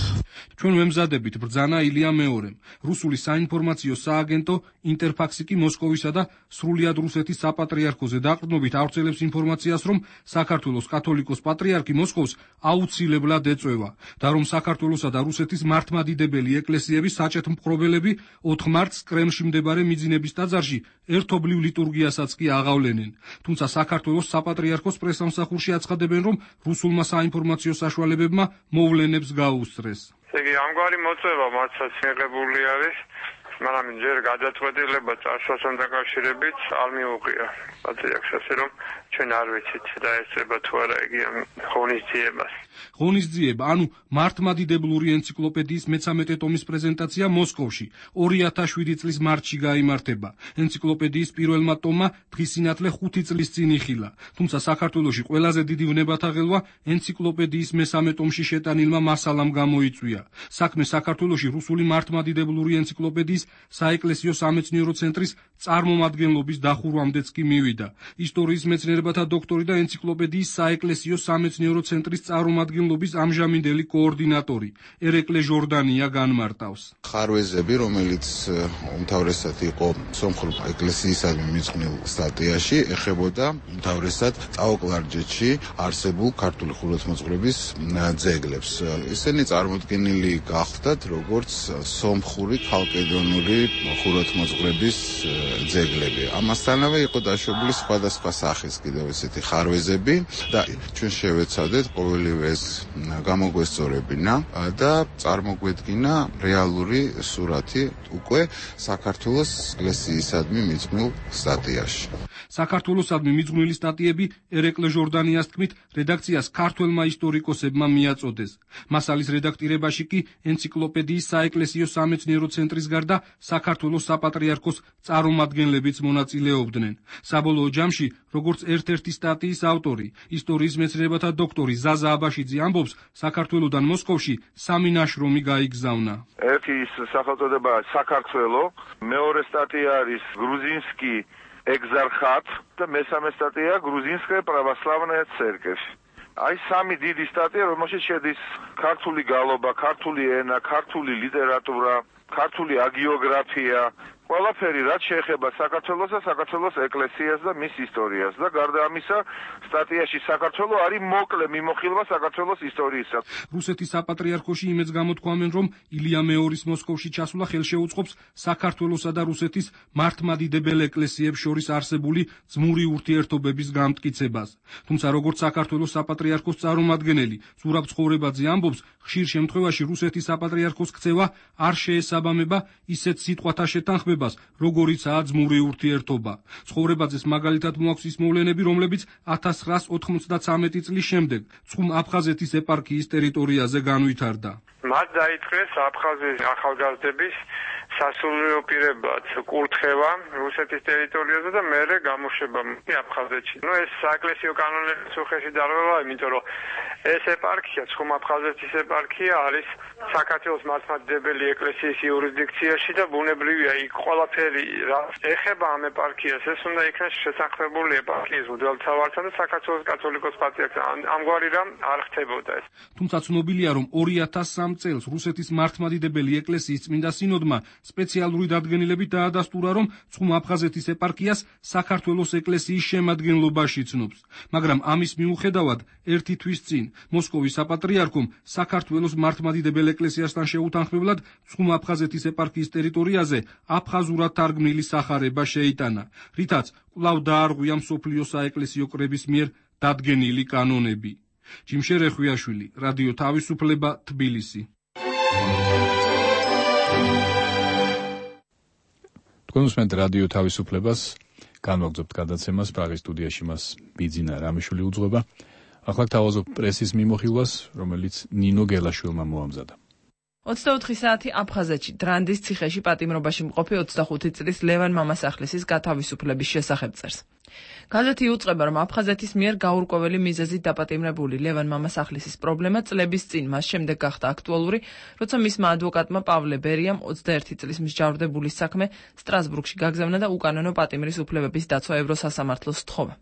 ჩვენ ვემზადებით ბრძანა ილია მეორემ. რუსული საინფორმაციო სააგენტო ინტერფაქსი კი მოსკოვისა და სრულიად რუსეთის საპატრიარქოზე დაყრდნობით ავრცელებს ინფორმაციას, რომ საქართველოს კათოლიკოს პატრიარქი მოსკოვს აუცილებლად ეწვევა და რომ საქართველოსა და რუსეთის მართლმადიდებელი ეკლესიების საჭეთ მკრობელები ოთხ მარტს კრემლში მდებარე მიძინების ტაძარში ერთობლივ ლიტურგიასაც კი აღავლენენ. თუმცა საქართველოს საპატრიარქოს პრესამსახურში აცხადებენ, რომ რუსულმა საინფორმაციო საშუალებებმა მოვლენებს გაუსწრეს. იგი ამგვარი მოწვევა მათაც მიღებული არის, მაგრამ ჯერ გადაწყვეტილება წარსულთან დაკავშირებით არ მიუღია. პატრიარქს ასე რომ ჩვენ არ ვიცით და ესწრება თუ არა იგი ღონისძიებას. ღონისძიება, ანუ მართლმადიდებლური ენციკლოპედიის მეცამეტე ტომის პრეზენტაცია მოსკოვში ორი ათას შვიდი წლის მარტში გაიმართება. ენციკლოპედიის პირველმა ტომმა დღის სინათლე ხუთი წლის წინ იხილა. თუმცა საქართველოში ყველაზე დიდი ვნებათაღელვა ენციკლოპედიის მესამე ტომში შეტანილმა მასალამ გამოიწვია. საქმე საქართველოში რუსული მართლმადიდებლური ენციკლოპედიის საეკლესიო სამეცნიერო ცენტრის წარმომადგენლობის დახურვამდეც კი მივიდა. ისტორიის მეცნიერებათა დოქტორი და ენციკლოპედიის საეკლესიო სამეცნიერო ცენტრის წარმომადგენლობის ამჟამინდელი კოორდინატორი ერეკლე ჟორდანია განმარტავს. ხარვეზები, რომელიც უმთავრესად იყო სომხურ ეკლესიისადმი მიძღვნილ სტატიაში, ეხებოდა უმთავრესად წაოკლარჯეთში არსებულ ქართული ხუროთმოძღვრების ძეგლებს. ისინი წარმოდგენილი გახდათ როგორც სომხური ქალკედონური ხუროთმოძღვრების ძეგლები. ამასთანავე იყო დაშვებული სხვადასხვა სახის კიდევ ესეთი ხარვეზები და ჩვენ შევეცადეთ ყოველივე ეს გამოგვესწორებინა და წარმოგვედგინა რეალური სურათი უკვე საქართველოს ეკლესიისადმი მიძღვნილ სტატიაში. საქართველოსადმი მიძღვნილი სტატიები ერეკლე ჟორდანიას თქმით რედაქციას ქართველმა ისტორიკოსებმა მიაწოდეს. მასალის რედაქტირებაში კი ენციკლოპედიის საეკლესიო სამეცნიერო ცენტრის გარდა საქართველოს საპატრიარქოს წარმომადგენლებიც მონაწილეობდნენ. საბოლოო ჯამში, როგორც ერთ-ერთი სტატიის ავტორი, ისტორიის მეცნიერებათა დოქტორი ზაზა აბაშიძე ამბობს, საქართველოდან მოსკოვში სამი ნაშრომი გაიგზავნა. ერთი ის სახელწოდება საქართველო, მეორე სტატია არის გრუზინსკი ეგზარხატ და მესამე სტატია გრუზინსკая православная церковь. აი სამი დიდი სტატია, რომელშიც შედის ქართული გალობა, ქართული ენა, ქართული ლიტერატურა, ქართული აგიოგრაფია, ყველაფერი რაც შეეხება საქართველოს და საქართველოს ეკლესიას და მის ისტორიას და გარდა ამისა სტატიაში საქართველო არის მოკლე მიმოხილვა საქართველოს ისტორიისა. რუსეთის საპატრიარქოში იმეც გამოთქვამენ, რომ ილია მეორის მოსკოვში ჩასვლა ხელშეუწყობს საქართველოსა და რუსეთის მართლმადიდებელ ეკლესიებს შორის არსებული ძმური ურთიერთობების გამტკიცებას. თუმცა როგორც საქართველოს საპატრიარქოს წარმომადგენელი ზურაბ ცხოვრებაძე ამბობს, ხშირ შემთხვევაში რუსეთის საპატრიარქოს ქცევა არ შეესაბამება ისეთ სიტყვათა შეთანხმებას, როგორიცაა ძმური ურთიერთობა. ცხოვრებაძეს მაგალითად მოაქვს ის მოვლენები, რომლებიც ათას ცხრაას ოცდათვრამეტი წლის შემდეგ ცხუმ აფხაზეთის ეპარქიის ტერიტორიაზე განვითარდა. მათ დაიწყეს აფხაზეთის ახალგაზრდების სასულიერო პირებად კურთხევა რუსეთის ტერიტორიაზე და მერე გამოშვება აფხაზეთში. ნუ ეს საეკლესიო კანონების უხეში დარღვევა, იმიტომ რომ ეს ეპარქია, ცხუმ აფხაზეთის ეპარქია არის საქართველოს მართლმადიდებელი ეკლესიის იურისდიქციაში და ბუნებრივია იქ ყველაფერი რა ეხება ამ ეპარქიას, ეს უნდა იქნას შესაძლებელი ეპარქიის მღვდელმთავართან და საქართველოს კათოლიკოს პატრიარქთან. ამგვარი რამ არ ხდებოდა ეს. თუმცა ცნობილია, რომ ორი ათას სამ წელს რუსეთის მართლმადიდებელი ეკლესიის წმინდა სინოდმა სპეციალური დადგენილებით დაადასტურა, რომ ცხუმ აფხაზეთის ეპარქიას საქართველოს ეკლესიის შემადგენლობაში ცნობს. მაგრამ ამის მიუხედავად ერთი თვის წინ მოსკოვის საპატრიარქომ საქართველოს მართლმადიდებელ ეკლესიასთან შეუთანხმებლად ცხუმ აფხაზეთის ეპარქიის ტერიტორიაზე აფხაზურად თარგმნილი სახარება შეიტანა, რითაც კვლავ დაარღვია მსოფლიო საეკლესიო კრების მიერ დადგენილი კანონები. ჯიმშე რეხვიაშვილი, რადიო თავისუფლება, თბილისი. თქვენ უსმენთ რადიო თავისუფლებას, განვაგრძობთ გადაცემას, პრაღის სტუდიაში მას ბიძინა რამიშვილი უძღვება. ახლა თავაზობ პრესის მიმოხილვას, რომელიც ნინო გელაშვილმა მოამზადა. ოცდაოთხი საათი აფხაზეთში დრანდის ციხეში პატიმრობაში მყოფი ოცდახუთი წლის ლევან მამასახლისის გათავისუფლების შესახებ წერს. გაზეთი იუწყება, რომ აფხაზეთის მიერ გაურკვეველი მიზეზით დაპატიმრებული ლევან მამასახლისის პრობლემა წლების წინ მას შემდეგ გახდა აქტუალური, როცა მისმა ადვოკატმა პავლე ბერიამ ოცდაერთი წლის მსჯავრდებულის საქმე სტრასბურგში გაგზავნა და უკანონო პატიმრის უფლებების დაცვა ევროსასამართლოს სთხოვა.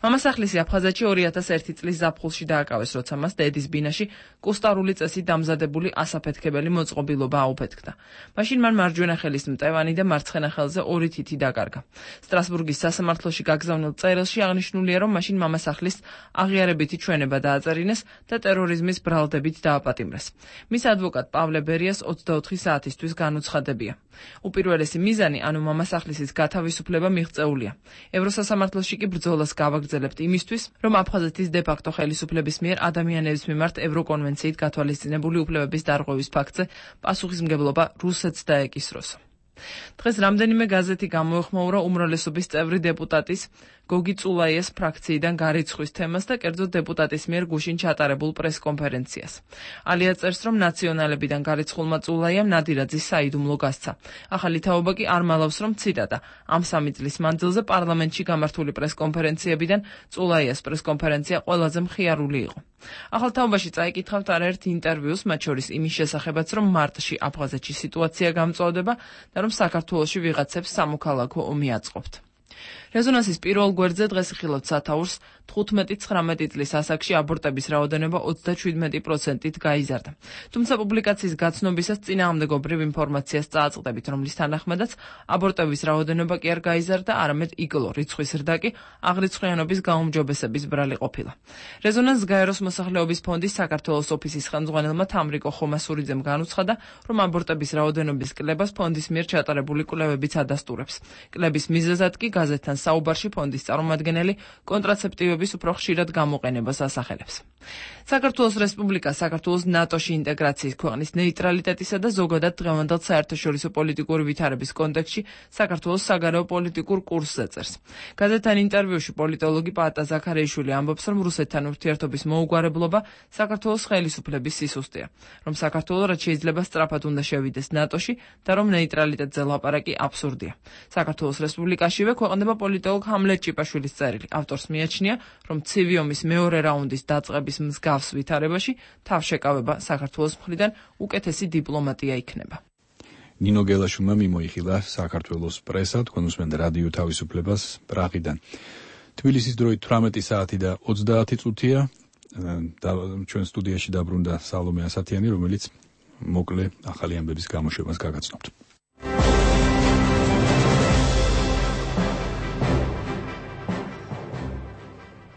მამასახლისი აფხაზეთში ორი ათას ერთი წლის ზაფხულში დააკავეს, როცა მას დედის ბინაში კუსტარული წესით დამზადებული ასაფეთქებელი მოწყობილობა აუფეთქდა. მაშინ მან მარჯვენა ხელის მტევანი და მარცხენა ხელზე ორი თითი დაკარგა. სტრასბურგის სასამართლოში გაგზავნილ წერილში აღნიშნულია, რომ მაშინ მამასახლის აღიარებითი ჩვენება დააწერინეს და ტერორიზმის ბრალდებით დააპატიმრეს. მის ადვოკატ პავლე ბერიას ოცდაოთხი საათისთვის განუცხადებია. უპირველესი მიზანი, ანუ მამასახლისის გათავისუფლება მიღწეულია. ევროსასამართლოში კი ბრძოლას გავაგრძელებთ იმისთვის, რომ აფხაზეთის დე-ფაქტო ხელისუფლების მიერ ადამიანების მიმართ ევროკონვენციით გათვალისწინებული უფლებების დარღვევის ფაქტზე პასუხისმგებლობა რუსეთს დაეკისროს. დღეს რამდენიმე გაზეთი გამოეხმაურა უმრავლესობის წევრი დეპუტატის გოგი წულაიეს ფრაქციიდან გარიცხვის თემას და კერძოდ დეპუტატის მიერ გუშინ ჩატარებულ პრესკონფერენციას. ალია წერს, რომ ნაციონალებიდან გარიცხულმა წულაიამ ნადირაძის საიდუმლო გასცა. ახალი თაობა კი არ მალავს, რომ ციტატა ამ სამი წლის მანძილზე პარლამენტში გამართული პრესკონფერენციებიდან წულაიას პრესკონფერენცია ყველაზე მხიარული იყო. ახალ თაობაში წაიკითხავთ არაერთ ინტერვიუს, მათ შორის იმის შესახებაც, რომ მარტში აფხაზეთში სიტუაცია გამწვავდება და რომ საქართველოში ვიღაცებს სამოქალაქო ომი აწყობთ. რეზონანსის პირველ გვერდზე დღეს ხილავთ სათაურს თხუთმეტი ცხრამეტი წლის ასაკში აბორტების რაოდენობა ოცდაშვიდმეტი პროცენტით გაიზარდა. თუმცა პუბლიკაციის გაცნობისას წინააღმდეგობრივ ინფორმაციას წააწყდებით, რომლის თანახმადაც აბორტების რაოდენობა კი არ გაიზარდა, არამედ იკლო, რიცხვის ზრდა კი აღრიცხვიანობის გაუმჯობესების ბრალი ყოფილა. რეზონანს გაეროს მოსახლეობის ფონდის საქართველოს ოფისის ხელმძღვანელმა თამრიკო ხომასურიძემ განუცხადა, რომ აბორტების რაოდენობის კლებას ფონდის მიერ ჩატარებული კვლევებიც ადასტურებს. კლების მიზეზად კი გაზეთთან საუბარში ფონდის წარმომადგენელი კონტრაცეპტივების საშუალებების უფრო ხშირად გამოყენებას ასახელებს. საქართველოს რესპუბლიკა საქართველოს ნატოში ინტეგრაციის, ქვეყნის ნეიტრალიტეტისა და ზოგადად დღევანდელ საერთაშორისო პოლიტიკური ვითარების კონტექსტში საქართველოს საგარეო პოლიტიკურ კურსს ეწერს. გაზეთთან ინტერვიუში პოლიტოლოგი პაატა ზაქარიაშვილი ამბობს, რომ რუსეთთან ურთიერთობის მოუგვარებლობა საქართველოს ხელისუფლების სისუსტეა, რომ საქართველო რაც შეიძლება სწრაფად უნდა შევიდეს ნატოში და რომ ნეიტრალიტეტზე ლაპარაკი აბსურდია. საქართველოს რესპუბლიკაშივე ქვეყნდება პოლიტოლოგ ჰამლეტ ჭიპაშვილის წერილი. ავტორს მიაჩნია, რომ ცივი ომის მეორე რაუნდის დაწყების მსგავს ვითარებაში თავშეკავება საქართველოს მხრიდან უკეთესი დიპლომატია იქნება. ნინო გელაშვილმა მიმოიხილა საქართველოს პრესა, თქვენ უსმენთ რადიო თავისუფლებას პრაღიდან. თბილისის დროით თვრამეტი საათი და ოცდაათი წუთია და ჩვენ სტუდიაში დაბრუნდა სალომე ასათიანი, რომელიც მოკლე ახალი ამბების გამოშვებას გაგაცნობთ.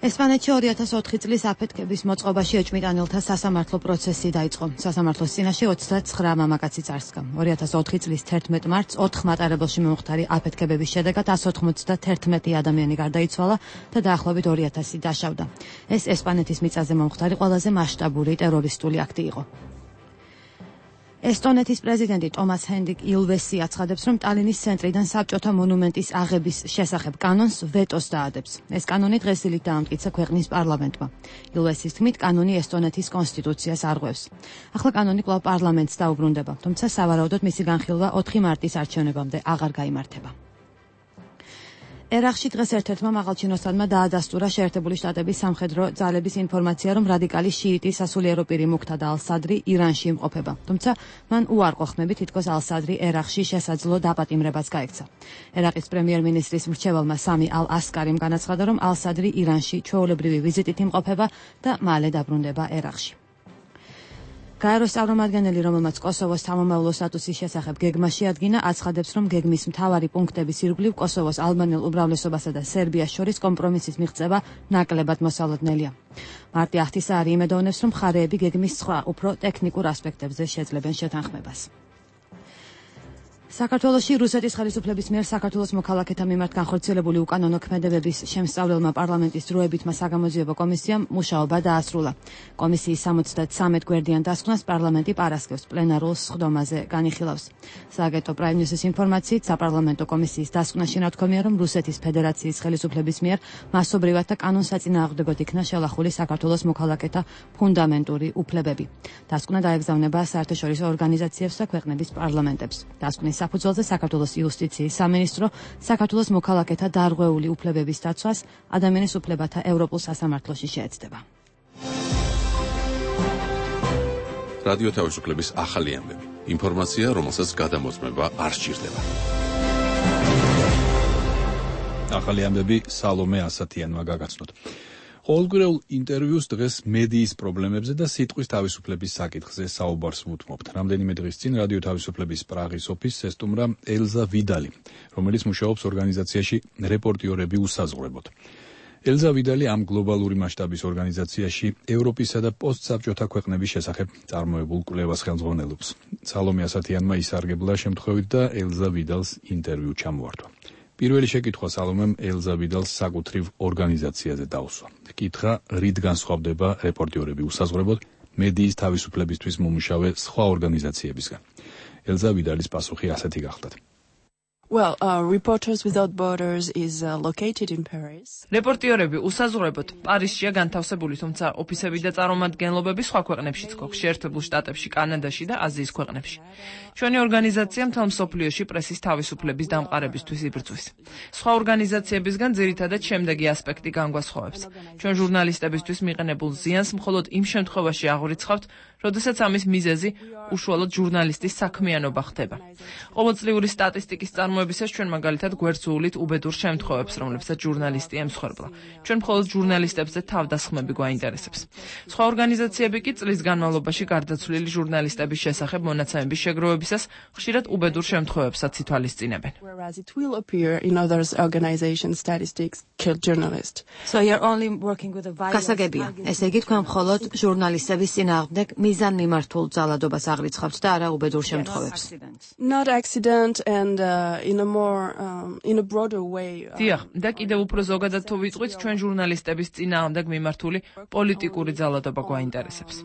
ესპანეთში ორი ათას ოთხი წლის აფეთქების მოწყობაში ეჭვმიტანელთა სასამართლო პროცესი დაიწყო. სასამართლოს წინაშე ოცდაცხრა მამაკაცი წარსდგა. ორი ათას ოთხი წლის თერთმეტ მარტს ოთხ მატარებელში მომხდარი აფეთქებების შედეგად εκατს ოცდათერთმეტი ადამიანი გარდაიცვალა და დაახლოებით ორი ათასი დაშავდა. ეს ესპანეთის მიწაზე მომხდარი ყველაზე მასშტაბური ტერორისტული აქტი იყო. ესტონეთის პრეზიდენტი ტომას ჰენდიკ ილვესი აცხადებს, რომ ტალინის ცენტრიდან საბჭოთა მონუმენტის აღების შესახებ კანონს ვეტოს დაადებს. ეს კანონი დღესდღეობით დაამტკიცა ქვეყნის პარლამენტმა. ილვესის თქმით, კანონი ესტონეთის კონსტიტუციას არღვევს. ახლა კანონი კვლავ პარლამენტს დაუბრუნდება, თუმცა სავარაუდოდ მისი განხილვა ოთხი მარტის არჩევნებამდე აღარ გაიმართება. ერაყში დღეს ერთ-ერთმა მაღალჩინოსანმა დაადასტურა შეერთებული შტატების სამხედრო ძალების ინფორმაცია, რომ რადიკალი შიიტი სასულიერო პირი მუქთადა ალ-სადრი ირანში იმყოფება. თუმცა მან უარყო ხმები, თითქოს ალ-სადრი ერაყში შესაძლო დაპატიმრებას გაექცა. ერაყის პრემიერ-მინისტრის მრჩეველმა სამი ალ-ასკარიმ განაცხადა, რომ ალ-სადრი ირანში ჩვეულებრივი ვიზიტით იმყოფება და მალე დაბრუნდება ერაყში. გაეროს წარმომადგენელი, რომელმაც კოსოვოს სამომავლო სტატუსის შესახებ გეგმა შეადგინა, აცხადებს, რომ გეგმის მთავარი პუნქტების ირგვლივ კოსოვოს ალბანელ უმრავლესობასა და სერბიას შორის კომპრომისის მიღწევა ნაკლებად მოსალოდნელია. მარტი ახტისაარი იმედოვნებს, რომ მხარეები გეგმის სხვა უფრო ტექნიკურ ასპექტებზე შეძლებენ შეთანხმებას. საქართველოში რუსეთის ხელისუფლების მიერ საქართველოს მოქალაქეთა მიმართ განხორციელებული უკანონო ქმედებების შემსწავლელმა პარლამენტის დროებითმა საგამოძიებო კომისიამ მუშაობა დაასრულა. კომისიის სამოცდათსამეტ გვერდიან დასკვნას პარლამენტი პარასკევს პლენარულ სხდომაზე განიხილავს. სააგენტო პრაიმ ნიუსის ინფორმაციით, საპარლამენტო კომისიის დასკვნაში ნათქვამია, რომ რუსეთის ფედერაციის ხელისუფლების მიერ მასობრივად და კანონსაწინააღმდეგოდ იქნა შელახული საქართველოს მოქალაქეთა ფუნდამენტური უფლებები. დასკვნა დაეგზავნება საერთაშორისო ორგანიზაციებს და ქვეყნების პარლამენტებს. დასკვნის საფუძველზე საქართველოს იუსტიციის სამინისტრო საქართველოს მოქალაქეთა დარღვეული უფლებების დაცვას ადამიანის უფლებათა ევროპულ სასამართლოში შეეცდება. რადიო თავისუფლების ახალი ამბები. ინფორმაცია, რომელსაც გადამოწმება არ სჭირდება. ახალი ამბები სალომე ასათიანმა გაგაცნოთ. ყოველკვირეულ ინტერვიუს დღეს მედიის პრობლემებზე და სიტყვის თავისუფლების საკითხზე საუბარს ვუთმობთ. რამდენიმე დღის წინ რადიო თავისუფლების პრაღის ოფისს ესტუმრა ელზა ვიდალი, რომელიც მუშაობს ორგანიზაციაში რეპორტიორები უსაზღვრებოდ. ელზა ვიდალი ამ გლობალური მასშტაბის ორგანიზაციაში ევროპისა და პოსტსაბჭოთა ქვეყნების შესახებ წარმოებულ კვლევას ხელმძღვანელობს. სალომე ასათიანმა ისარგებლა შემთხვევით და ელზა ვიდალს ინტერვიუ ჩამოართვა. პირველი შეკითხვა სალომემ ელზა ვიდალს საკუთრივ ორგანიზაციაზე დაუსვა. კითხა, რით განსხვავდება რეპორტიორები უსაზღვრებოდ მედიის თავისუფლებისთვის მომუშავე სხვა ორგანიზაციებისგან. ელზა ვიდალის პასუხი ასეთი გახლდათ. Well, uh, Reporters Without Borders is uh, located in Paris. რეპორტიორები უსაზღვრებოდ პარიზშია განთავსებული, თუმცა ოფისები და წარმომადგენლობები სხვა ქვეყნებშიც გვაქვს, შეერთებულ შტატებში, კანადაში და აზიის ქვეყნებში. ჩვენი ორგანიზაცია მთელ მსოფლიოში პრესის თავისუფლების დამყარებისთვის იბრძვის. სხვა ორგანიზაციებისგან ძირითადად შემდეგი ასპექტი განგვასხვავებს. ჩვენ ჟურნალისტებისთვის მიყენებულ ზიანს მხოლოდ იმ შემთხვევაში აღვრიცხავთ, როდესაც ამის მიზეზი უშუალოდ ჟურნალისტის საქმიანობა ხდება. ყოველწლიური სტატისტიკის წარმოებისას ჩვენ მაგალითად გვერდს ვუვლით უბედურ შემთხვევებს, რომლებსაც ჟურნალისტი ემსხვერპლა. ჩვენ მხოლოდ ჟურნალისტებზე თავდასხმები გვაინტერესებს. სხვა ორგანიზაციები კი წლის განმავლობაში გარდაცვლილი ჟურნალისტების შესახებ მონაცემების შეგროვებისას ხშირად უბედურ შემთხვევებსაც ითვალისწინებენ. Whereas it will appear in other organizations statistics killed journalists. So you're only working with a violence. გასაგებია, ესე იგი თქვენ მხოლოდ ჟურნალისტების წინააღმდეგ მიზან მიმართულ ძალადობას აღრიცხავთ და არა უბედურ შემთხვევებს. Not accident and uh, in a more um, in a broader way. დიახ, და კიდევ უფრო ზოგადად თუ ვიწყვით ჩვენ ჟურნალისტების წინააღმდეგ მიმართული პოლიტიკური ძალადობა გვაინტერესებს.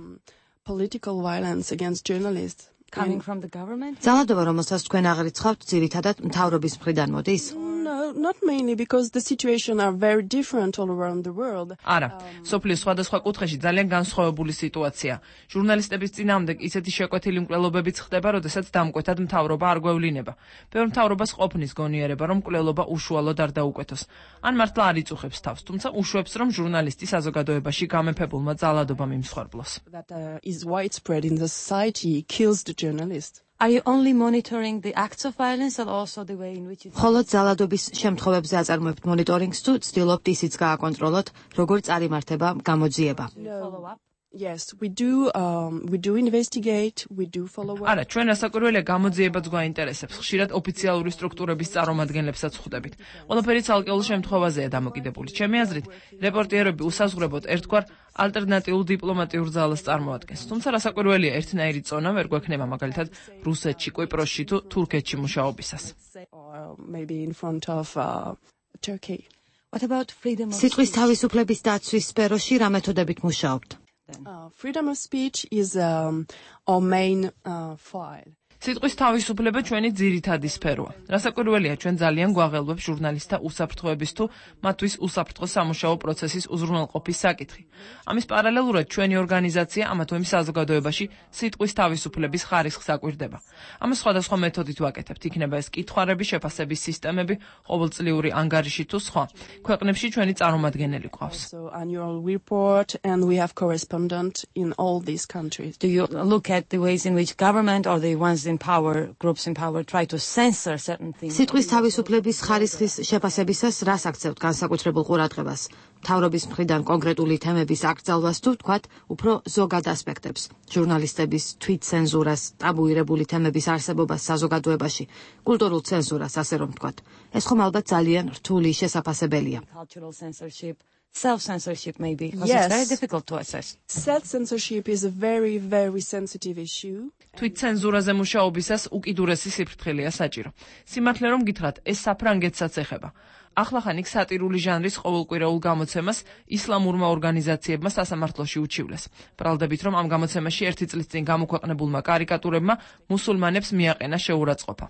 Political violence against journalists coming from the government. ძალადობა, რომელსაც თქვენ აღრიცხავთ, ძირითადად მთავრობის მხრიდან მოდის? No, not mainly because the situation are very different all around the world. არა, სოფლის სხვადასხვა კუთხეში ძალიან განსხვავებული სიტუაცია. ჟურნალისტების წინააღმდეგ ისეთი შეკვეთილი მკვლელობებიც ხდება, როდესაც დამკვეთად მთავრობა არ გვევლინება. ბევრ მთავრობას ყოფნის გონიერება, რომ მკვლელობა უშუალოდ არ დაუკვეთოს. ან მართლა არ იწუხებს თავს, თუმცა უშვებს, რომ ჟურნალისტი საზოგადოებაში გამეფებულმა ძალადობამ იმსხვერპლოს. That uh, is widespread in the society kills the journalist. Are you only monitoring the acts of violence or also the way in which it ხოლო ძალადობის შემთხვევებზე აწარმოებთ მონიტორინგს თუ ცდილობთ ისიც გააკონტროლოთ, როგორ წარიმართება გამოძიება? Follow up? Yes, we do um we do investigate, we do follow up. არა, ჩვენ ასაკურველია გამოძიებაც გვაინტერესებს. ხშირად ოფიციალური სტრუქტურების წარმომადგენლებსაც ხვდებით. ყველაფერი ცალკეულ შემთხვევაზეა დამოკიდებული. ჩემი აზრით, რეპორტიერები უსაზღვრებოდ ერთგვარ ალტერნატიულ დიპლომატიურ ძალას წარმოადგენს. თუმცა რასაკვირველია, ერთნაირი წონა ვერ გვექნება მაგალითად რუსეთში, კვიპროსში თუ თურქეთში მუშაობისას. Or maybe in front of uh, Turkey. What about freedom of სიტყვის თავისუფლების დაცვის სფეროში რა მეთოდებით მუშაობთ? Uh, freedom of speech is um, our main uh, file. სიტყვის თავისუფლება ჩვენი ძირითადი სფეროა. რასაკვირველია, ჩვენ ძალიან გვაღელვებს ჟურნალისტთა უსაფრთხოების თუ მათთვის უსაფრთხო სამუშაო პროცესის უზრუნველყოფის საკითხი. ამის პარალელურად ჩვენი ორგანიზაცია ამა თუ იმ საზოგადოებაში სიტყვის თავისუფლების ხარისხს აკვირდება. ამას სხვადასხვა მეთოდით ვაკეთებთ, იქნება ეს კითხვარების შეფასების სისტემები, ყოველწლიური ანგარიში თუ სხვა. ქვეყნებში ჩვენი წარმომადგენელი ყავს. So annual report and we have correspondent in all these countries. Do you look at the ways in which government or the ones in power, groups in power try to censor certain things? სიტყვის თავისუფლების ხარისხის შეფასებისას რას აქცევთ განსაკუთრებულ ყურადღებას? მთავრობის მხრიდან კონკრეტული თემების აკრძალვას თუ თქვათ უფრო ზოგად ასპექტებს, ჟურნალისტების თვითცენზურას, ტაბუირებული თემების არსებობას საზოგადოებაში, კულტურულ ცენზურას, ასე რომ თქვათ. ეს ხომ ალბათ ძალიან რთული შესაფასებელია. Cultural censorship. Self-censorship maybe, because yes. it's very difficult to assess. Self-censorship is a very, very sensitive issue. თვითცენზურაზე მუშაობისას უკიდურესი სიფრთხილეა საჭირო. სიმართლე რომ გითხრათ, ეს საფრანგეთსაც ეხება. ახლახან იქ სატირული ჟანრის ყოველკვირეულ გამოცემას ისლამურმა ორგანიზაციებმა სასამართლოში უჩივლეს. ბრალდებით, რომ ამ გამოცემაში ერთი წლის წინ გამოქვეყნებულმა კარიკატურებმა მუსულმანებს მიაყენა შეურაცხყოფა.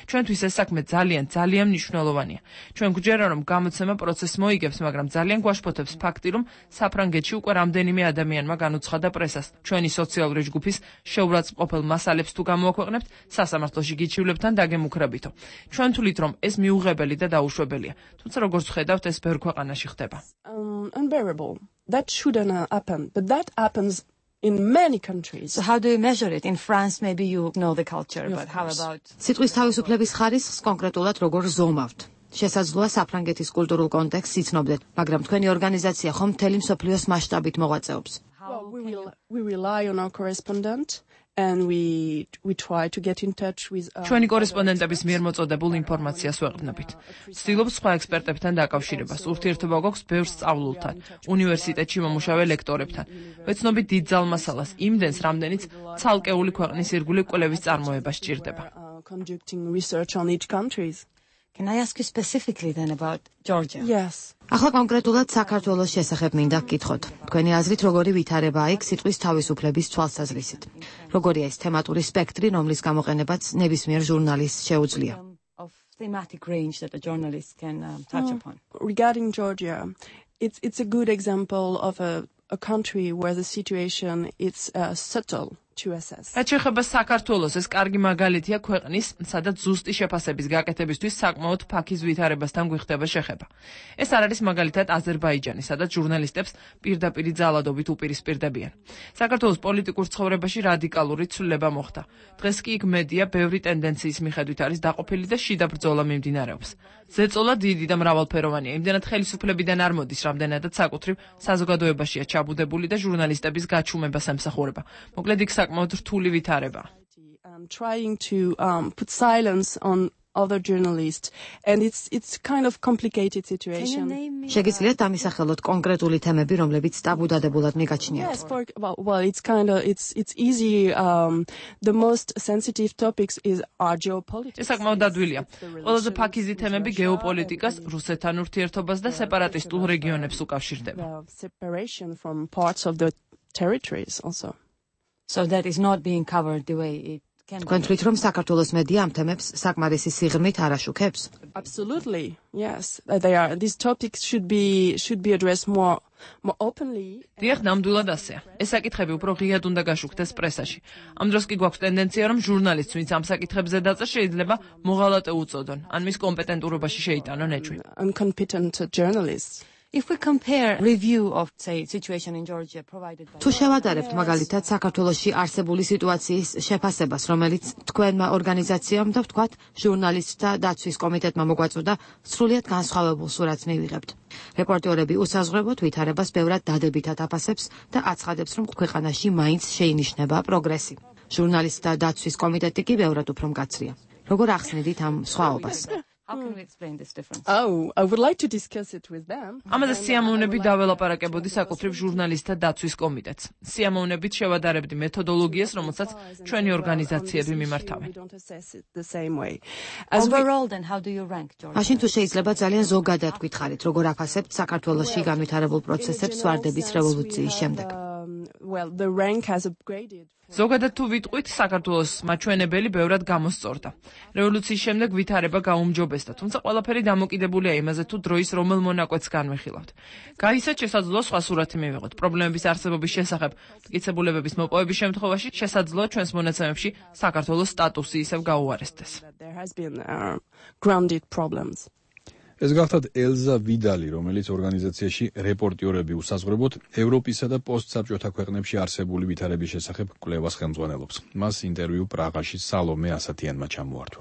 ჩვენთვის ეს საქმე ძალიან, ძალიან მნიშვნელოვანია. ჩვენ გვჯერა, რომ გამოცემა პროცესს მოიგებს, მაგრამ ძალიან გვაშფოთებს ფაქტი, რომ საფრანგეთში უკვე რამდენიმე ადამიანმა განუცხადა პრესას. ჩვენი სოციალური ჯგუფის შეურაცხყოფელ მასალებს თუ გამოაქვეყნებთ, სასამართლოში გიჩივლებთ ან დაგემუქრებითო. ჩვენ თვლით, რომ ეს მიუღებელი და დაუშვებელია. თუმცა როგორც ხედავთ, ეს ბევრ ქვეყანაში ხდება. Um, unbearable. That shouldn't happen, but that happens in many countries. So how do you measure it? In France maybe you know the culture, Of but how course. about სიტყვის თავისუფლების ხარისხს კონკრეტულად როგორ ზომავთ? შესაძლოა საფრანგეთის კულტურულ კონტექსტს იცნობდეთ, მაგრამ თქვენი ორგანიზაცია ხომ მთელი მსოფლიოს მასშტაბით მოღვაწეობს? Well, we will we rely on our correspondent and we we try to get in touch with uh, ჩვენი კორესპონდენტების მიერ მოწოდებულ ინფორმაციას ვეყრდნობით. ვცდილობთ სხვა ექსპერტებთან დაკავშირებას. ურთიერთობა გვაქვს ბევრ სწავლულთან, უნივერსიტეტში მომუშავე ლექტორებთან. ვეცნობით დიდ ძალმასალას, იმდენს, რამდენიც ცალკეული ქვეყნის ირგვლივ კვლევის წარმოება სჭირდება. uh, conducting research on each countries. Can I ask you specifically then about Georgia? Yes. ახლა კონკრეტულად საქართველოს შესახებ მინდა გკითხოთ. თქვენი აზრით როგორი ვითარებაა იქ სიტყვის თავისუფლების თვალსაზრისით? როგორია ეს თემატური სპექტრი, რომლის გამოყენებაც ნებისმიერ ჟურნალისტს შეუძლია? Of thematic range that a journalist can um, touch Mm. upon. Regarding Georgia, it's it's a good example of a a country where the situation is uh, subtle to assess. რაც შეეხება საქართველოს, ეს კარგი მაგალითია ქვეყნის, სადაც ზუსტი შეფასების გაკეთებისთვის საკმაოდ ფაქიზ ვითარებასთან გვიხდება შეხება. ეს არ არის მაგალითად აზერბაიჯანი, სადაც ჟურნალისტებს პირდაპირი ძალადობით უპირისპირდებიან. საქართველოს პოლიტიკურ ცხოვრებაში რადიკალური ცვლილება მოხდა. დღეს კი იქ მედია ბევრი ტენდენციის მიხედვით არის დაყოფილი და შიდა ბრძოლა მიმდინარეობს. ზეწოლა დიდი და მრავალფეროვანია, იმდენად ხელისუფლებიდან არ მოდის, რამდენადაც საკუთრივ საზოგადოებაშია ჩაბუდებული და ჟურნალისტების გაჩუმებას ემსახურება. მოკლედ იქ საკმაოდ რთული ვითარება. And trying to um, put silence on other journalists, and it's it's kind of complicated situation. შეგიძლიათ ამისახელოთ კონკრეტული თემები, რომლებიც ტაბუდადებულად მიგაჩნიათ? Yes, for well, well it's kind of it's it's easy. Um, the most sensitive topics is are geopolitics. ეს საკმაოდ დადვილია. ყველაზე ფაქიზი თემები გეოპოლიტიკას, რუსეთთან ურთიერთობას და სეპარატისტულ რეგიონებს უკავშირდება. Separation from parts of the territories also. So that is not being covered the way it თქვენ თვლით, რომ საქართველოს მედია ამ თემებს საკმარისი სიღრმით არ აშუქებს? Absolutely, yes. They are. These topics should be should be addressed more more openly. დიახ, ნამდვილად ასეა. ეს საკითხები უფრო ღიად უნდა გაშუქდეს პრესაში. ამ დროს კი გვაქვს ტენდენცია, რომ ჟურნალისტს, ვინც ამ საკითხებზე დაწერს, შეიძლება მოღალატე უწოდონ, ან მის კომპეტენტურობაში შეიტანონ ეჭვი. Incompetent journalists. If we compare review of say situation in Georgia provided by თუ შევადარებთ მაგალითად საქართველოში არსებული სიტუაციის შეფასებას, რომელიც თქვენმა ორგანიზაციამ და ვთქვათ ჟურნალისტთა დაცვის კომიტეტმა მოგვაწოდა, სრულიად განსხვავებულ სურათს მივიღებთ. რეპორტერები უსაზღვრებოდ ვითარებას ბევრად დადებითად აფასებს და აცხადებს, რომ ქვეყანაში მაინც შეინიშნება პროგრესი. ჟურნალისტთა დაცვის კომიტეტი კი ბევრად უფრო მკაცრია. როგორ ახსნედით ამ სხვაობას? How can we explain this difference? Oh, I would like to discuss it with them. ამაზე სიამოვნები დაველაპარაკებოდი საკუთრივ ჟურნალისტთა დაცვის კომიტეტს. სიამოვნებით შევადარებდი მეთოდოლოგიას, რომელსაც ჩვენი ორგანიზაციები მიმართავენ. Overall, then how do you rank, George? მაშინ თუ შეიძლება ძალიან ზოგადად გითხარით, როგორ აფასებთ საქართველოში განვითარებულ პროცესებს ვარდების რევოლუციის შემდეგ? Well, the rank has upgraded. ზოგადად თუ ვიტყვით, საქართველოს მაჩვენებელი ბევრად გამოსწორდა. რევოლუციის შემდეგ ვითარება გაუმჯობესდა, თუმცა ყველაფერი დამოკიდებულია იმაზე, თუ დროის რომელ მონაკვეთს განვიხილავთ. გაიცეთ, შესაძლოა სხვა სურათი მივიღოთ. პრობლემების არსებობის შესახებ მტკიცებულებების მოპოვების შემთხვევაში შესაძლოა ჩვენს მონაცემებში საქართველოს სტატუსი ისევ გაუარესდეს. There has been uh, grounded problems. ეს გახლავთ ელზა ვიდალი, რომელიც ორგანიზაციაში რეპორტიორები უსაზღვრებოდ ევროპისა და პოსტსაბჭოთა ქვეყნებში არსებული ვითარების შესახებ კვლევას ხელმძღვანელობს. მას ინტერვიუ პრაღაში სალომე ასათიანმა ჩამოართვა.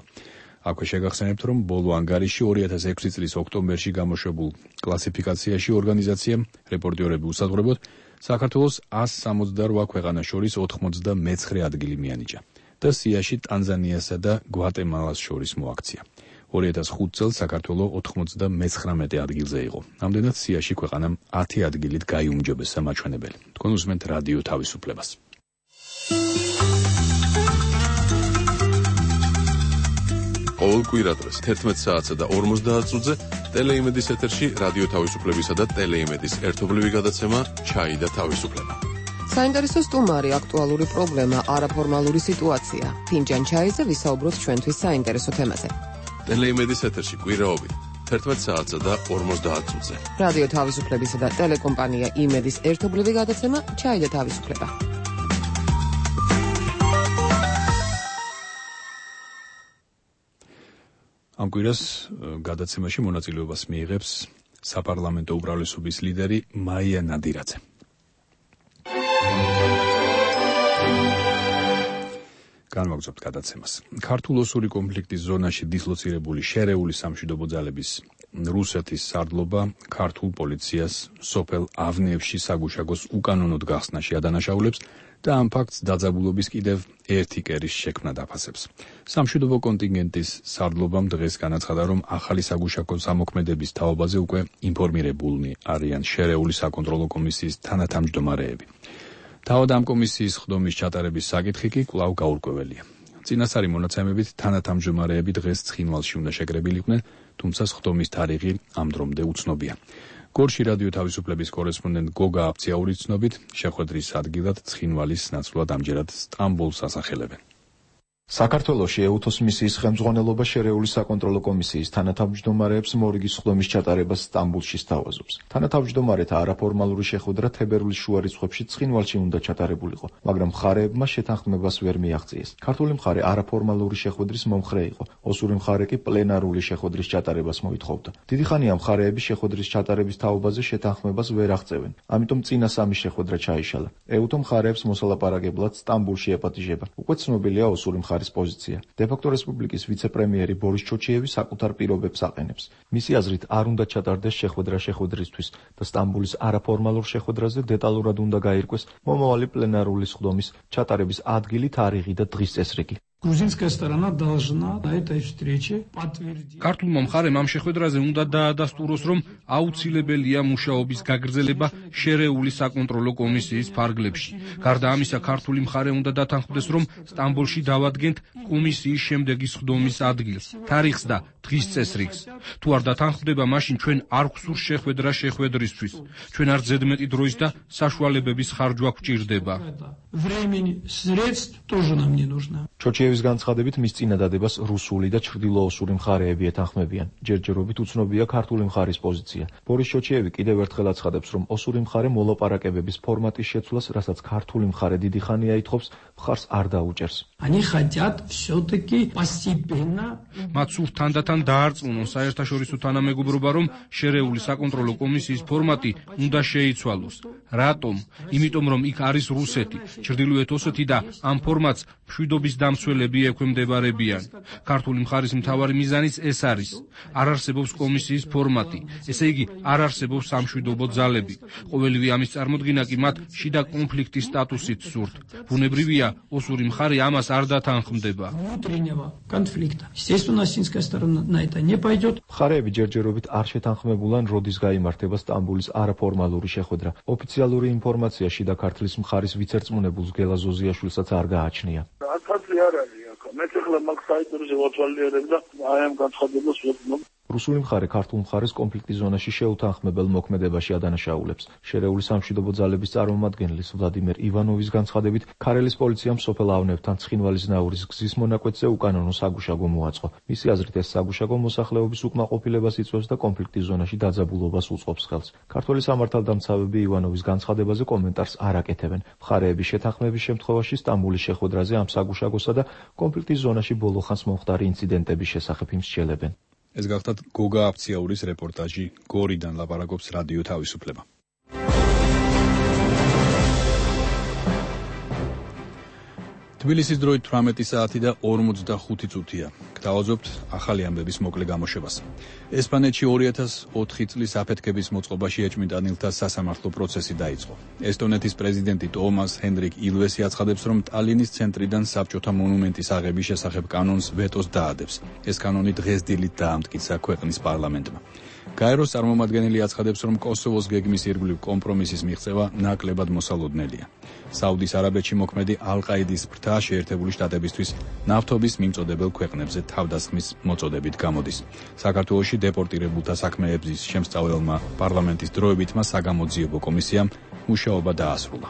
აქვე შეგახსენებთ, რომ ბოლო ანგარიში ორი ათას ექვსი წლის ოქტომბერში გამოშვებულ კლასიფიკაციაში ორგანიზაციამ რეპორტიორები უსაზღვრებოდ საქართველოს ას სამოცდარვა ქვეყანას შორის ოთხმოცდამეცხრე ადგილი მიანიჭა და სიაში ტანზანიასა და გვატემალას შორის მოაქცია. ორი ათას ხუთი წელს საქართველო ოთხმოცდამეცხრამეტე ადგილზე იყო. ამდენად სიაში ქვეყანამ ათი ადგილით გაიუმჯობესა მაჩვენებელი. თქვენ უსმენთ რადიო თავისუფლებას. ყოველ კვირადღეს თერთმეტ საათსა და ორმოცდაათ წუთზე ტელეიმედის ეთერში რადიო თავისუფლებისა და ტელეიმედის ერთობლივი გადაცემა ჩაი და თავისუფლება. საინტერესო სტუმარი, აქტუალური პრობლემა, არაფორმალური სიტუაცია. ფინჯან ჩაიზე ვისაუბროთ ჩვენთვის საინტერესო თემაზე. ტელეიმედის ეთერში კვირაობით თერთმეტ საათსა და ორმოცდაათ წუთზე. რადიო თავისუფლებისა და ტელეკომპანია იმედის ერთობლივი გადაცემა ჩაი და თავისუფლება. ამ კვირას გადაცემაში მონაწილეობას მიიღებს საპარლამენტო უმრავლესობის ლიდერი მაია ნადირაძე. განვაგრძობთ გადაცემას. ქართულ-ოსური კონფლიქტის ზონაში დისლოცირებული შერეული სამშვიდობო ძალების რუსეთის სარდლობა ქართულ პოლიციას სოფელ ავნეებში საგუშაგოს უკანონოდ გახსნაში ადანაშაულებს და ამ ფაქტს დაძაბულობის კიდევ ერთი კერის შექმნა დაფასებს. სამშვიდობო კონტინგენტის სარდლობამ დღეს განაცხადა, რომ ახალი საგუშაგო ზამოქმედების თაობაზე უკვე ინფორმირებულნი არიან შერეული საკონტროლო კომისიის თანათავმჯდომარეები. თავად ამ კომისიის ხდომის ჩატარების საკითხი კი კვლავ გაურკვეველია. წინასწარი მონაცემებით თანათავმჯდომარეები დღეს ცხინვალში უნდა შეკრებილიყვნენ, თუმცა ხდომის თარიღი ამ დრომდე უცნობია. გორში რადიო თავისუფლების კორესპონდენტ გოგა აფციაურის ცნობით, შეხვედრის ადგილად ცხინვალის ნაცვლად ამჯერად სტამბოლს ასახელებენ. საქართველოში ეუთოს მისიის ხელმძღვანელობა შერეული საკონტროლო კომისიის თანათავმჯდომარეებს მორიგის ხდომის ჩატარებას სტამბოლში სთავაზობს. თანათავმჯდომარეთა არაფორმალური შეხვედრა თებერვლის შუა რიცხვებში ცხინვალში უნდა ჩატარებულიყო, მაგრამ მხარეებმა შეთანხმებას ვერ მიაღწიეს. ქართული მხარე არაფორმალური შეხვედრის მომხრე იყო, ოსური მხარე კი პლენარული შეხვედრის ჩატარებას მოითხოვდა. დიდი ხანია მხარეები შეხვედრის ჩატარების თაობაზე შეთანხმებას ვერ აღწევენ, ამიტომ წინა სამი შეხვედრა ჩაიშალა. ეუთო მხარეებს მოსალაპარაკებლად სტამბოლში ეპატიჟება. უკვე ცნობილია ოსური მხარე პოზიცია. დე-ფაქტო რესპუბლიკის ვიცე-პრემიერი ბორის ჩოჩიევი საკუთარ პირობებს აყენებს. მისი აზრით არ უნდა ჩატარდეს შეხვედრა შეხვედრისთვის და სტამბოლის არაფორმალურ შეხვედრაზე დეტალურად უნდა გაირკვეს მომავალი პლენარული სხდომის ჩატარების ადგილი, თარიღი და დღის წესრიგი. Грузинская сторона должна на этой встрече подтвердить. ქართულმა მხარემ ამ შეხვედრაზე უნდა დაადასტუროს, რომ აუცილებელია მუშაობის გაგრძელება შერეული საკონტროლო კომისიის ფარგლებში. გარდა ამისა, ქართული მხარე უნდა დათანხმდეს, რომ სტამბოლში დავადგენთ კომისიის შემდეგი სხდომის ადგილს, თარიღს და დღის წესრიგს. თუ არ დათანხმდება, მაშინ ჩვენ არ გვსურს შეხვედრა შეხვედრისთვის. ჩვენ არ ზედმეტი დროის და საშუალებების ხარჯვა გვჭირდება. Времени, средств тоже нам не нужно. ჩოჩიევის განცხადებით მის წინადადებას რუსული და ჩრდილოოსური მხარეები ეთანხმებიან. ჯერჯერობით უცნობია ქართული მხარის პოზიცია. ბორის ჩოჩიევი კიდევ ერთხელ აცხადებს, რომ osuri მხარე მოლაპარაკებების ფორმატის შეცვლას, რასაც ქართული მხარე დიდი ხანია ითხოვს, მხარს არ დაუჭერს. Они хотят всё-таки постепенно. მათ სურთ თანდათან დაარწმუნონ საერთაშორისო თანამეგობრობა, რომ შერეული საკონტროლო კომისიის ფორმატი უნდა შეიცვალოს. რატომ? იმიტომ, რომ იქ არის რუსეთი, ჩრდილოეთ ოსეთი და ამ ფორმატს მშვიდობის დამცველები ექვემდებარებიან. ქართული მხარის მთავარი მიზანიც ეს არის. არ არსებობს კომისიის ფორმატი, ესე იგი არ არსებობს სამშვიდობო ძალები. ყოველივე ამის წარმოდგენა კი მათ შიდა კონფლიქტის სტატუსით სურთ. ბუნებრივია, osuri მხარე ამას არ დათანხმდება. Внутреннего конфликта. Естественно, осетинская сторона на это не пойдет. მხარეები ჯერჯერობით არ შეთანხმებულან როდის გაიმართება სტამბოლის არაფორმალური შეხვედრა. ოფიციალური ინფორმაცია შიდა ქართლის მხარის ვიცერწმუნებულს გელა ზოზიაშვილსაც არ გააჩნია. ათასი არ არის აქ. მე ახლა მაგ საიტზე ვათვალიერებ და აი ამ განცხადებას ვეცნობ. რუსული მხარე ქართულ მხარეს კონფლიქტის ზონაში შეუთანხმებელ მოქმედებაში ადანაშაულებს. შერეული სამშვიდობო ძალების წარმომადგენლის ვლადიმერ ივანოვის განცხადებით, ქარელის პოლიციამ სოფელ ავნებთან ცხინვალის ნაურის გზის მონაკვეთზე უკანონო საგუშაგო მოაწყო. მისი აზრით, ეს საგუშაგო მოსახლეობის უკმაყოფილებას იწვევს და კონფლიქტის ზონაში დაძაბულობას უწყობს ხელს. ქართველი სამართალდამცავები ივანოვის განცხადებაზე კომენტარს არ აკეთებენ. მხარეების შეთანხმების შემთხვევაში სტამბოლის შეხვედრაზე ამ საგუშაგოსა და კონფლიქტის ზონაში ბოლოხანს მომხდარი ინციდენტების შესახებ იმსჯელებენ. ეს გახლავთ გოგა აფციაურის რეპორტაჟი გორიდან ლაპარაკობს რადიო თავისუფლება. თბილისის დროით თვრამეტი საათი და ორმოცდახუთი წუთია. გთავაზობთ ახალი ამბების მოკლე გამოშვებას. ესპანეთში ორი ათას ოთხი წლის აფეთქების მოწყობაში ეჭვმიტანილთა სასამართლო პროცესი დაიწყო. ესტონეთის პრეზიდენტი ტომას ჰენდრიკ ილვესი აცხადებს, რომ ტალინის ცენტრიდან საბჭოთა მონუმენტის აღების შესახებ კანონს ვეტოს დაადებს. ეს კანონი დღეს დილით დაამტკიცა ქვეყნის პარლამენტმა. გაეროს წარმომადგენელი აცხადებს, რომ კოსოვოს გეგმის ირგვლივ კომპრომისის მიღწევა ნაკლებად მოსალოდნელია. საუდის არაბეთში მოქმედი ალ-ყაიდის ფრთა შეერთებული შტატებისთვის ნავთობის მიმწოდებელ ქვეყნებზე თავდასხმის მოწოდებით გამოდის. საქართველოში დეპორტირებულთა საქმეების შემსწავლელმა პარლამენტის დროებითმა საგამოძიებო კომისიამ მუშაობა დაასრულა.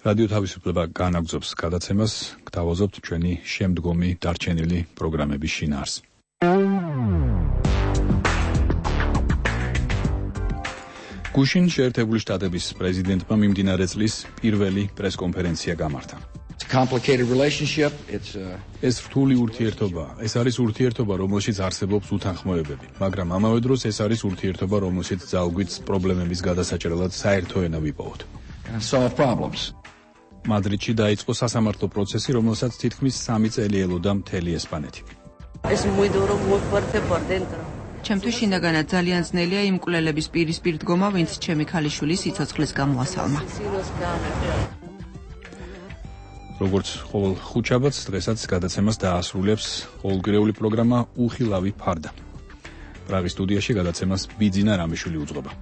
რადიო თავისუფლება განაგრძობს გადაცემას, გთავაზობთ ჩვენი შემდგომი დარჩენილი პროგრამების შინაარს. გუშინ შეერთებული შტატების პრეზიდენტმა მიმდინარე წლის პირველი პრესკონფერენცია გამართა. ეს რთული ურთიერთობაა. ეს არის ურთიერთობა, რომელშიც არსებობს უთანხმოებები, მაგრამ ამავე დროს ეს არის ურთიერთობა, რომელშიც ძალგვით პრობლემების გადასაჭრელად საერთო ენა ვიპოვოთ. მადრიდში დაიწყო სასამართლო პროცესი, რომელსაც თითქმის სამი წელი ელოდა მთელი ესპანეთი. ჩემთვის შინაგანად ძალიან ძნელია იმ მკვლელების პირისპირ დგომა, ვინც ჩემი ქალიშვილის სიცოცხლის გამოასალმა. როგორც ყოველ ხუთშაბათს, დღესაც გადაცემას დაასრულებს ყოველკვირეული პროგრამა უხილავი ფარდა. პრაღის სტუდიაში გადაცემას ბიძინა რამიშვილი უძღვება.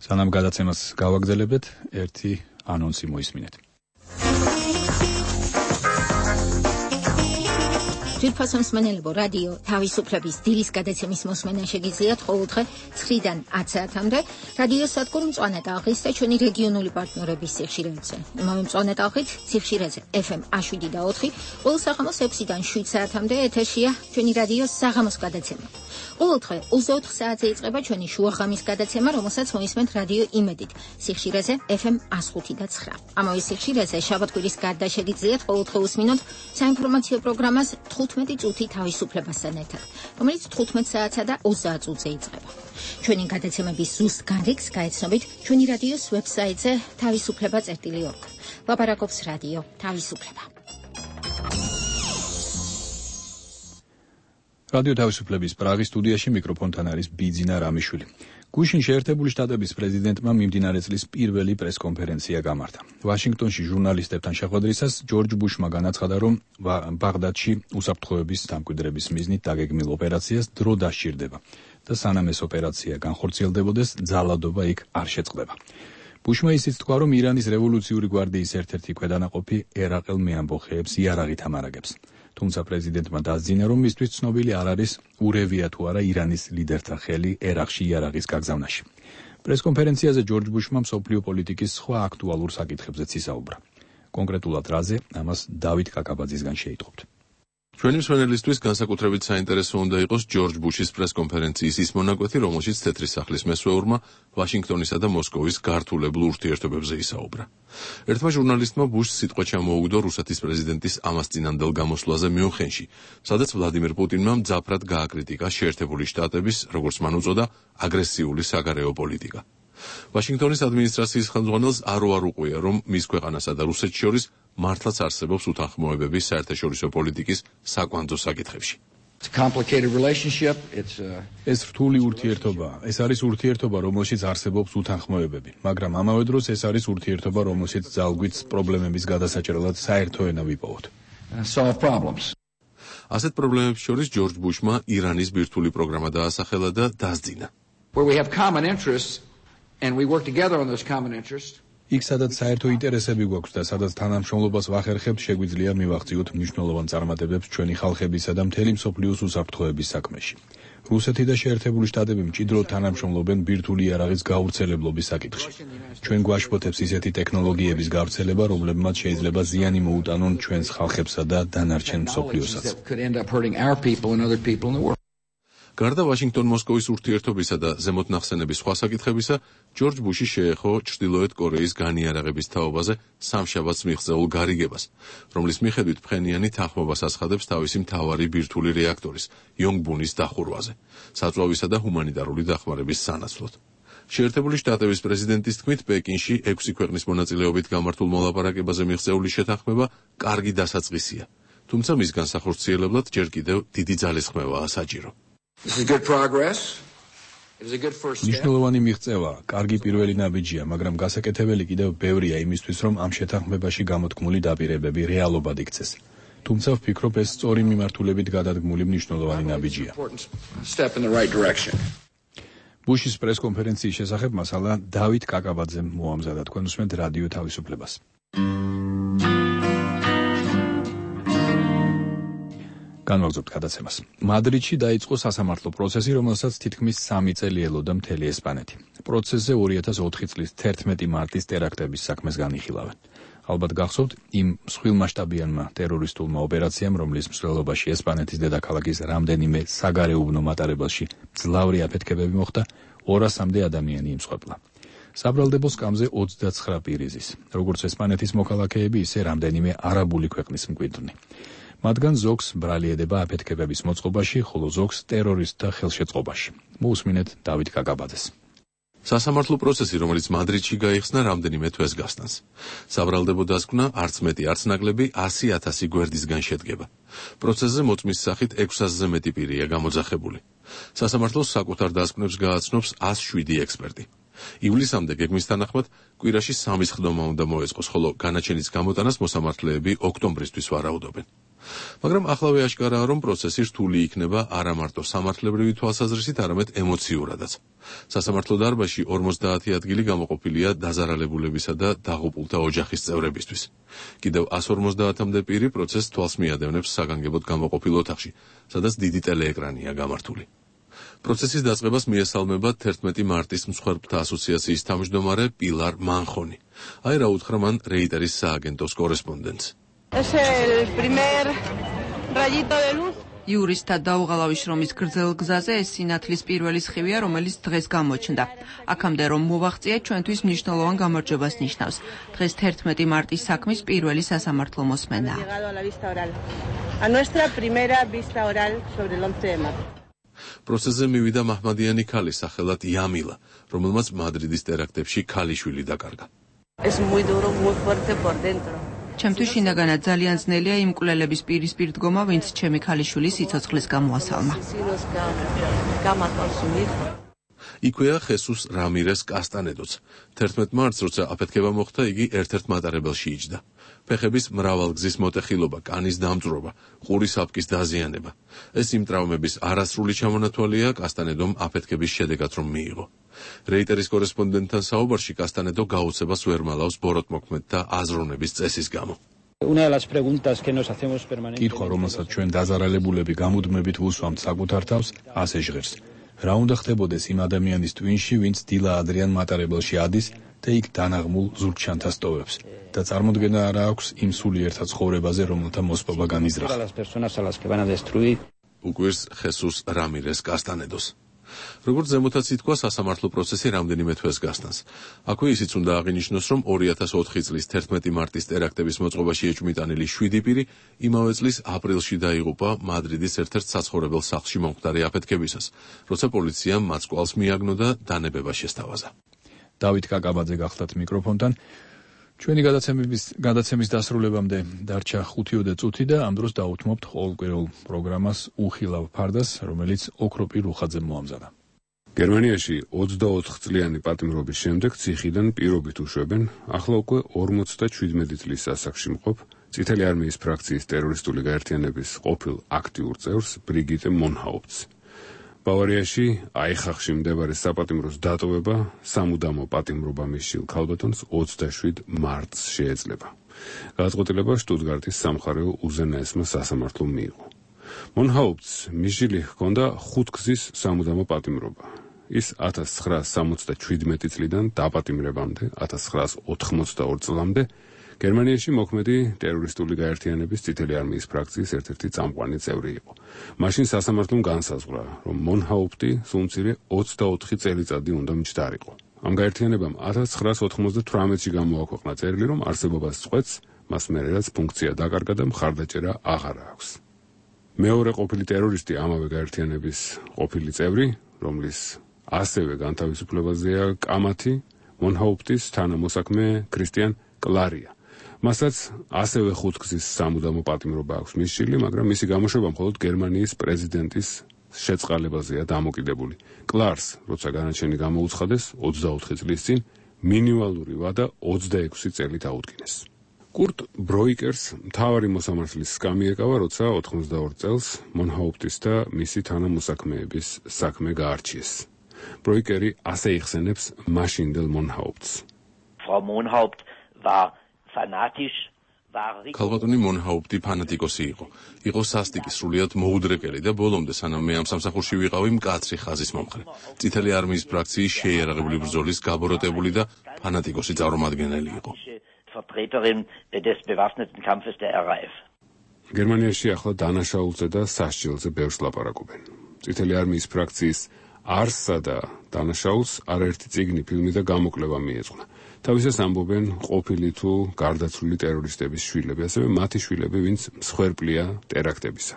სანამ გადაცემას გავაგრძელებთ, ერთი ანონსი მოისმინეთ. ძვირფასო მსმენელებო, რადიო თავისუფლების დილის გადაცემის მოსმენა შეგიძლიათ ყოველდღე ცხრიდან ათ საათამდე რადიო სადგურ მწვანე ტალღის და ჩვენი რეგიონული პარტნიორების სიხშირეებზე. იმავე მწვანე ტალღით სიხშირეზე ეფ ემ შვიდი და ოთხი, ყოველ საღამოს ექვსიდან შვიდ საათამდე ეთერშია ჩვენი რადიო საღამოს გადაცემა. ყოველდღე ოცდაოთხ საათზე იწყება ჩვენი შუაღამის გადაცემა, რომელსაც მოისმენთ რადიო იმედით სიხშირეზე ეფ ემ ხუთი და ცხრა. ამავე სიხშირეზე შაბათ-კვირის გარდა შეგიძლიათ ყოველდღე უსმინოთ საინფორმაციო პროგრამას თხუთმეტი წუთი თავისუფლებასთან ერთად, რომელიც თხუთმეტ საათსა და ოცდაათ წუთზე იწყება. ჩვენი გადაცემების ზუსტ განრიგს გაეცნობით ჩვენი რადიოს ვებსაიტზე თავისუფლება წერტილი ორგ. ლაპარაკობს რადიო თავისუფლება. რადიო თავისუფლების პრაღის სტუდიაში მიკროფონთან არის ბიძინა რამიშვილი. გუშინ შეერთებული შტატების პრეზიდენტმა მიმდინარე წლის პირველი პრესკონფერენცია გამართა. ვაშინგტონში ჟურნალისტებთან შეხვედრისას ჯორჯ ბუშმა განაცხადა, რომ ბაღდადში უსაფრთხოების დამკვიდრების მიზნით დაგეგმილ ოპერაციას დრო დასჭირდება და სანამ ეს ოპერაცია განხორციელდებოდეს, ძალადობა იქ არ შეწყდება. ბუშმა ისიც თქვა, რომ ირანის რევოლუციური გვარდიის ერთ-ერთი ქვედანაყოფი ერაყელ მეამბოხეებს იარაღით ამარაგებს. თუმცა პრეზიდენტმა დასძინა, რომ მისთვის ცნობილი არ არის ურევია თუ არა ირანის ლიდერთა ხელი ერაყში იარაღის გაგზავნაში. პრესკონფერენციაზე ჯორჯ ბუშმა მსოფლიო პოლიტიკის სხვა აქტუალურ საკითხებზეც ისაუბრა. კონკრეტულად რაზე, ამას დავით კაკაბაძისგან შეიტყობთ. ჩვენი მსმენელისთვის განსაკუთრებით საინტერესო უნდა იყოს ჯორჯ ბუშის პრესკონფერენციის ის მონაკვეთი, რომელშიც თეთრი სახლის მესვეურმა ვაშინგტონისა და მოსკოვის გართულებულ ურთიერთობებზე ისაუბრა. ერთმა ჟურნალისტმა ბუშს სიტყვა ჩამოუგდო რუსეთის პრეზიდენტის ამასწინანდელ გამოსვლაზე მიუნხენში, სადაც ვლადიმერ პუტინმა მძაფრად გააკრიტიკა შეერთებული შტატების, როგორც მან უწოდა, აგრესიული საგარეო პოლიტიკა. ვაშინგტონის ადმინისტრაციის ხელმძღვანელს არ უარუყია, რომ მის ქვეყანასა და რუსეთს შორის მართლაც არსებობს უთანხმოებები საერთაშორისო პოლიტიკის საკვანძო საკითხებში. ეს რთული ურთიერთობაა. ეს არის ურთიერთობა, რომელშიც არსებობს უთანხმოებები, მაგრამ ამავე დროს ეს არის ურთიერთობა, რომელშიც ძალგვით პრობლემების გადასაჭრელად საერთო ენა ვიპოვოთ. ასეთ პრობლემებს შორის ჯორჯ ბუშმა ირანის ბირთვული პროგრამა დაასახელა და დასძინა. იქ სადაც საერთო ინტერესები გვაქვს და სადაც თანამშრომლობას ვახერხებთ, შეგვიძლია მივახციოთ მნიშვნელოვან წარმატებებს ჩვენი ხალხებისა და მთელი მსოფლიოს უსაფრთხოების საქმეში. რუსეთი და შეერთებული შტატები მჭიდროდ თანამშრომლობენ ბირთვული იარაღის გავრცელებლობის საკითხში. ჩვენ გვაშფოთებს ისეთი ტექნოლოგიების გავრცელება, რომლებმაც შეიძლება ზიანი მოუტანონ ჩვენს ხალხებსა და დანარჩენ მსოფლიოსაც. გარდა ვაშინგტონ-მოსკოვის ურთიერთობისა და ზემოთ ნახსენების სხვა საკითხებისა, ჯორჯ ბუში შეეხო ჩრდილოეთ კორეის განიარაღების თაობაზე სამშაბათს მიღწეულ გარიგებას, რომლის მიხედვით ფხენიანი თანხმობას აცხადებს თავისი მთავარი ბირთვული რეაქტორის, იონგბუნის დახურვაზე, საწვავისა და ჰუმანიტარული დახმარების სანაცვლოდ. შეერთებული შტატების პრეზიდენტის თქმით, პეკინში ექვსი ქვეყნის მონაწილეობით გამართულ მოლაპარაკებაზე მიღწეული შეთანხმება კარგი დასაწყისია, თუმცა მის განსახორციელებლად ჯერ კიდევ დიდი ძალისხმევაა საჭირო. მნიშვნელოვანი მიღწევაა, კარგი პირველი ნაბიჯია, მაგრამ გასაკეთებელი კიდევ ბევრია იმისთვის, რომ ამ შეთანხმებაში გამოთქმული დაპირებები რეალობად იქცეს. თუმცა ვფიქრობ, ეს სწორი მიმართულებით გადადგმული მნიშვნელოვანი ნაბიჯია. ბუშის პრესკონფერენციის შესახებ მასალა დავით კაკაბაძემ მოამზადა. თქვენ უსმენთ რადიო თავისუფლებას. განვაგრძობთ გადაცემას. მადრიდში დაიწყო სასამართლო პროცესი, რომელსაც თითქმის სამი წელი ელოდა მთელი ესპანეთი. პროცესზე ორი ათას ოთხი წლის თერთმეტი მარტის ტერაქტების საქმეს განიხილავენ. ალბათ გახსოვთ, იმ მსხვილმასშტაბიანმა ტერორისტულმა ოპერაციამ, რომლის მსვლელობაში ესპანეთის დედაქალაქის რამდენიმე საგარეუბნო მატარებელში მძლავრი აფეთქებები მოხდა, ორასამდე ადამიანი იმსხვერპლა. საბრალდებო სკამზე ოცდაცხრა პირი ზის, როგორც ესპანეთის მოქალაქეები, ისე რამდენიმე არაბული ქვეყნის მკვიდრნი. მათგან ზოგს ბრალი ედება აფეთქებების მოწყობაში, ხოლო ზოგს ტერორისტთა ხელშეწყობაში. მოусმინეთ დავით კაკაბაძეს. სასამართლო პროცესი, რომელიც მადრიდში გაიხსნა, რამდენიმე თვეს გასტანს. საბრალდებო დასკვნა არც მეტი, არც ნაკლები ასი ათასი გვერდისგან შედგება. პროცესზე მოწმის სახით ექვს ათასზე მეტი პირია გამოძახებული. სასამართლოს საკუთარ დასკვნებს გააცნობს ას შვიდი ექსპერტი. ივლისამდე გეგმის თანახმად კვირაში სამი სხდომა უნდა მოეწყოს, ხოლო განაჩენის გამოტანას მოსამართლეები ოქტომბრისთვის ვარაუდობენ. მაგრამ ახლავე აშკარაა, რომ პროცესი რთული იქნება არა მარტო სამართლებრივი თვალსაზრისით, არამედ ემოციურადაც. სასამართლო დარბაზში ორმოცდაათი ადგილი გამოყოფილია დაზარალებულებისა და დაღუპულთა ოჯახის წევრებისთვის. კიდევ ას ორმოცდაათამდე პირი პროცესს თვალს მიადევნებს საგანგებოდ გამოყოფილ ოთახში, სადაც დიდი ტელეეკრანია გამართული. პროცესის დაწყებას მიესალმება თერთმეტი მარტის მსხვერპლთა ასოციაციის თავმჯდომარე პილარ მანხონი. აი რა უთხრა მან რეიტერის სააგენტოს კორესპონდენტს. იურისტთა დაუღალავი შრომის გრძელ გზაზე ეს სინათლის პირველი სხივია, რომელიც დღეს გამოჩნდა. აქამდე რომ მოვაღწია, ჩვენთვის მნიშვნელოვან გამარჯვებას ნიშნავს. დღეს თერთმეტი მარტის საქმის პირველი სასამართლო მოსმენაა. პროცესზე მივიდა მაჰმადიანი ქალი სახელად იამილა, რომელმაც მადრიდის ტერაქტებში ქალიშვილი დაკარგა. ჩემთვის შინაგანად ძალიან ძნელია იმ მკვლელების პირისპირ დგომა, ვინც ჩემი ქალიშვილის სიცოცხლის გამოასალმა. იქვეა ხესუს რამირეს კასტანედოც. თერთმეტ მარტს, როცა აფეთქება მოხდა, იგი ერთ-ერთ მატარებელში იჯდა. ფეხების მრავალგზის მოტეხილობა, კანის დამწვრობა, ყურის აპკის დაზიანება. ეს იმ ტრავმების არასრული ჩამონათვალია კასტანედომ აფეთქების შედეგად რომ მიიღო. რეიტერის კორესპონდენტთან საუბარში კასტანედო გაუცებას ვერ მალავს ბოროტმოქმედთა აზროვნების წესის გამო. კითხვა, რომელსაც ჩვენ დაზარალებულები გამუდმებით ვუსვამთ საკუთარ თავს, ასე ჟღერს. რა უნდა ხდებოდეს იმ ადამიანის ტვინში, ვინც დილა ადრიან მატარებელში ადის და იქ დანაღმულ ზურგჩანთა სტოვებს და წარმოდგენა არა აქვს იმ სულიერთა ცხოვრებაზე, რომელთა მოსპობა განიზრახა. უკვირს ხესუს რამირეს კასტანედოს. როგორც ზემოთაც ითქვა, სასამართლო პროცესი რამდენიმე თვეს გასტანს. აქვე ისიც უნდა აღინიშნოს, რომ ორი ათას ოთხი წლის თერთმეტი მარტის ტერაქტების მოწყობაში ეჭვმიტანილი შვიდი პირი იმავე წლის აპრილში დაიღუპა მადრიდის ერთ-ერთ საცხოვრებელ სახლში მომხდარი აფეთქებისას, როცა პოლიციამ მათ კვალს მიაგნო და დანებება შესთავაზა. დავით კაკაბაძე გახლდათ მიკროფონთან. ჩვენი გადაცემის გადაცემის დასრულებამდე დარჩა ხუთიოდე წუთი და ამ დროს დაუთმობთ ყოველკვირეულ პროგრამას უხილავ ფარდას, რომელიც ოქროპირ რუხაძემ მოამზადა. გერმანიაში ოცდაოთხ წლიანი პატიმრობის შემდეგ ციხიდან პირობით უშვებენ ახლა უკვე ორმოცდაშვიდმეტი წლის ასაკში მყოფ წითელი არმიის ფრაქციის ტერორისტული გაერთიანების ყოფილ აქტიურ წევრს ბრიგიტე მონჰაუფტს. ბავარიაში აიხახში მდებარე საპატიმროს დატოვება სამუდამო პატიმრობა მისშილ ქალბატონს ოცდაშვიდ მარტს შეეძლება. გადაწყვეტილება შტუტგარტის სამხარეო უზენაესმა სასამართლომ მიიღო. მონჰაუფტს მისშილი ჰქონდა ხუთგზის სამუდამო პატიმრობა. ის ათას ცხრაას სამოცდაშვიდმეტი წლიდან დაპატიმრებამდე ათას ცხრაას ოთხმოცდაორი წლამდე გერმანიაში მოქმედი ტერორისტული გაერთიანების წითელი არმიის ფრაქციის ერთ-ერთი წამყვანი წევრი იყო. მაშინ სასამართლომ განსაზღვრა, რომ მონჰაუფტი სულ მცირე ოცდაოთხი წელიწადი უნდა მჯდარიყო. ამ გაერთიანებამ ათას ცხრაას ოთხმოცდათვრამეტში გამოაქვეყნა წერილი, რომ არსებობას წყვეტს, მას მერე რაც ფუნქცია დაკარგა და მხარდაჭერა აღარ აქვს. მეორე ყოფილი ტერორისტი ამავე გაერთიანების ყოფილი წევრი, რომლის ასევე განთავისუფლებაზეა კამათი, მონჰაუფტის თანამოსაქმე ქრისტიან კლარია. მასაც ასევე ხუთგზის სამუდამო პატიმრობა აქვს მისშილი, მაგრამ მისი გამოშვება მხოლოდ გერმანიის პრეზიდენტის შეწყალებაზეა დამოკიდებული. კლარს, როცა განაჩენი გამოუცხადეს ოცდაოთხი წლის წინ, მინიმალური ვადა ოცდაექვსი წელი დაუდგინეს. კურტ ბროიკერს მთავარი მოსამართლის სკამი ეკავა, როცა ოთხმოცდაორ წელს მონჰაუფტის და მისი თანამოსაქმეების საქმე გაარჩიეს. ბროიკერი ასე იხსენებს მაშინდელ მონჰაუფტს. Frau Monhaupt war fanatisch. ქალბატონი მონჰაუფტი ფანატიკოსი იყო. იყო სასტიკი, სრულიად მოუდრეკელი და ბოლომდე, სანამ მე ამ სამსახურში ვიყავი, მკაცრი ხაზის მომხრე. წითელი არმიის ფრაქციის შეიარაღებული ბრძოლის გაბოროტებული და ფანატიკოსი წარმომადგენელი იყო. Vertreterin des bewaffneten Kampfes der R A F. გერმანიაში ახლა დანაშაულზე და სასჯელზე ბევრს ლაპარაკობენ. წითელი არმიის ფრაქციის არსსა და დანაშაულს არაერთი წიგნი, ფილმი და გამოკვლევა მიეძღვნა. თავისას ამბობენ ყოფილი თუ გარდაცვლილი ტერორისტების შვილები, ასევე მათი შვილები, ვინც მსხვერპლია ტერაქტებისა.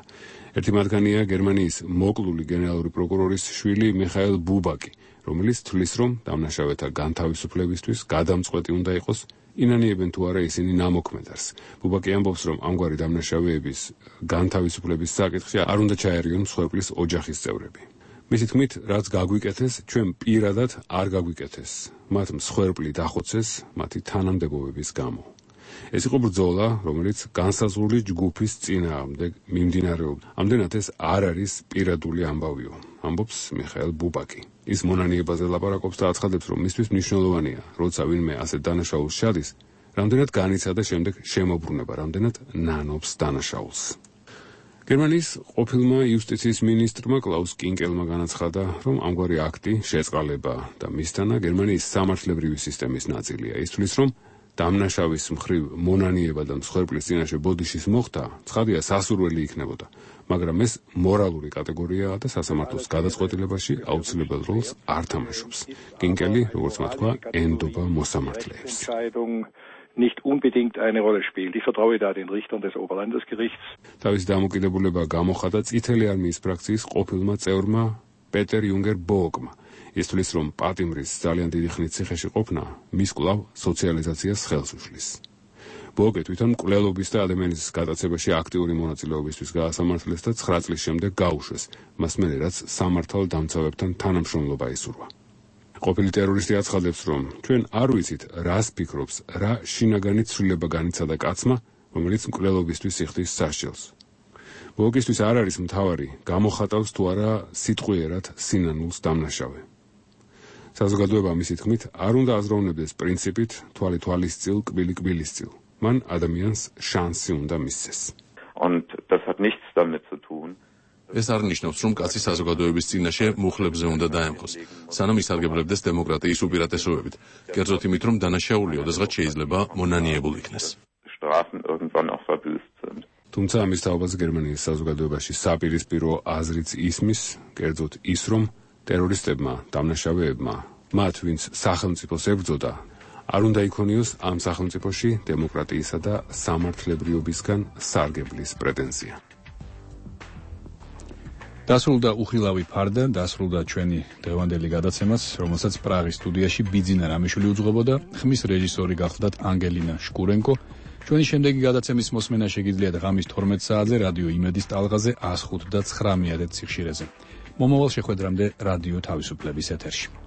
ერთი მათგანია გერმანიის მოკლული გენერალური პროკურორის შვილი მიხაელ ბუბაკი, რომელიც თვლის, რომ დამნაშავეთა განთავისუფლებისთვის გადამწყვეტი უნდა იყოს, ინანიებენ თუ არა ისინი ნამოქმედარს. ბუბაკი ამბობს, რომ ამგვარი დამნაშავეების განთავისუფლების საკითხში არ უნდა ჩაერიონ მსხვერპლის ოჯახის წევრები. მისი თქმით, რაც გაგვიკეთეს, ჩვენ პირადად არ გაგვიკეთეს. მათ მსხვერპლი დახოცეს მათი თანამდებობების გამო. ეს იყო ბრძოლა, რომელიც განსაზღვრული ჯგუფის წინააღმდეგ მიმდინარეობდა. ამდენად ეს არ არის პირადული ამბავიო, ამბობს მიხაელ ბუბაკი. ის მონანიებაზე ლაპარაკობს და აცხადებს, რომ მისთვის მნიშვნელოვანია, როცა ვინმე ასე დანაშაულს შედის, რამდენად განიცადა შემდეგ შემოbrunება, რამდენად ნანობს დანაშაულს. გერმანიის ყოფილმა იუსტიციის მინისტრმა კლაუს კინკელმა განაცხადა, რომ ამგვარი აქტი შეწყალება და მისთანა გერმანიის სამართლებრივი სისტემის ნაწილია. ის თვლის, რომ დამნაშავის მხრივ მონანიება და მსხვერპლის წინაშე ბოდიშის მოხდა, ცხადია სასურველი იქნებოდა, მაგრამ ეს მორალური კატეგორიაა და სასამართლოს გადაწყვეტილებაში აუცილებელ როლს არ თამაშობს. კინკელი, როგორც მათქვა, ენდობა მოსამართლეებს. nicht unbedingt eine Rolle spielt. Ich vertraue da den Richtern des Oberlandesgerichts. თავის დამოკიდებულება გამოხატა წითელი არმიის ფრაქციის ყოფილმა წევრმა პეტერ იუნგერ ბოოკმა. ის თვლის, რომ პატიმრის ძალიან დიდი ხნით ციხეში ყოფნა მის კვლავ სოციალიზაციას ხელს უშლის. ბოკე თვითონ მკვლელობის და ადამიანის გატაცებაში აქტიური მონაწილეობისთვის გაასამართლეს და ცხრა წლის შემდეგ გაუშვეს, მას მერე რაც სამართალ დამცავებთან თანამშრომლობა ისურვა. ყოფილი ტერორისტი აცხადებს, რომ ჩვენ არ ვიცით, რას ფიქრობს, რა შინაგანი ცვლილება განიცადა კაცმა, რომელიც მკვლელობისთვის იხდის სასჯელს. ბოკისთვის არ არის მთავარი, გამოხატავს თუ არა სიტყვიერად სინანულს დამნაშავე. საზოგადოება მისი თქმით არ უნდა აზროვნებდეს პრინციპით თვალი თვალისწილ, კბილი კბილისწილ. Man ადამიანს შანსი უნდა მისცეს. Und das hat nichts damit zu tun. ეს არ ნიშნავს, რომ კაცი საზოგადოების წინაშე მუხლებზე უნდა დაემხოს, სანამ ისარგებლებდეს დემოკრატიის უპირატესობებით, კერძოდ იმით, რომ დანაშაული ოდესღაც შეიძლება მონანიებულ იქნეს. Strafen irgendwann auch verbüßt sind. თუმცა ამის თაობას გერმანიის საზოგადოებაში საპირისპირო აზრიც ისმის, კერძოდ ის, რომ ტერორისტებმა, დამნაშავეებმა, მათ, ვინც სახელმწიფოს ებრძოდა, არ უნდა იქონიოს ამ სახელმწიფოში დემოკრატიისა და სამართლებრივობისგან სარგებლის პრეტენზია. დასრულდა უხილავი ფარდა, დასრულდა ჩვენი დღევანდელი გადაცემაც, რომელსაც პრაღის სტუდიაში ბიძინა რამიშვილი უძღვებოდა, ხმის რეჟისორი გახლდათ ანგელინა შკურენკო. ჩვენი შემდეგი გადაცემის მოსმენა შეგიძლიათ ღამის თორმეტ საათზე რადიო იმედის ტალღაზე one oh five და nine one one სიხშირეზე. მომავალ შეხვედრამდე რადიო თავისუფლების ეთერში.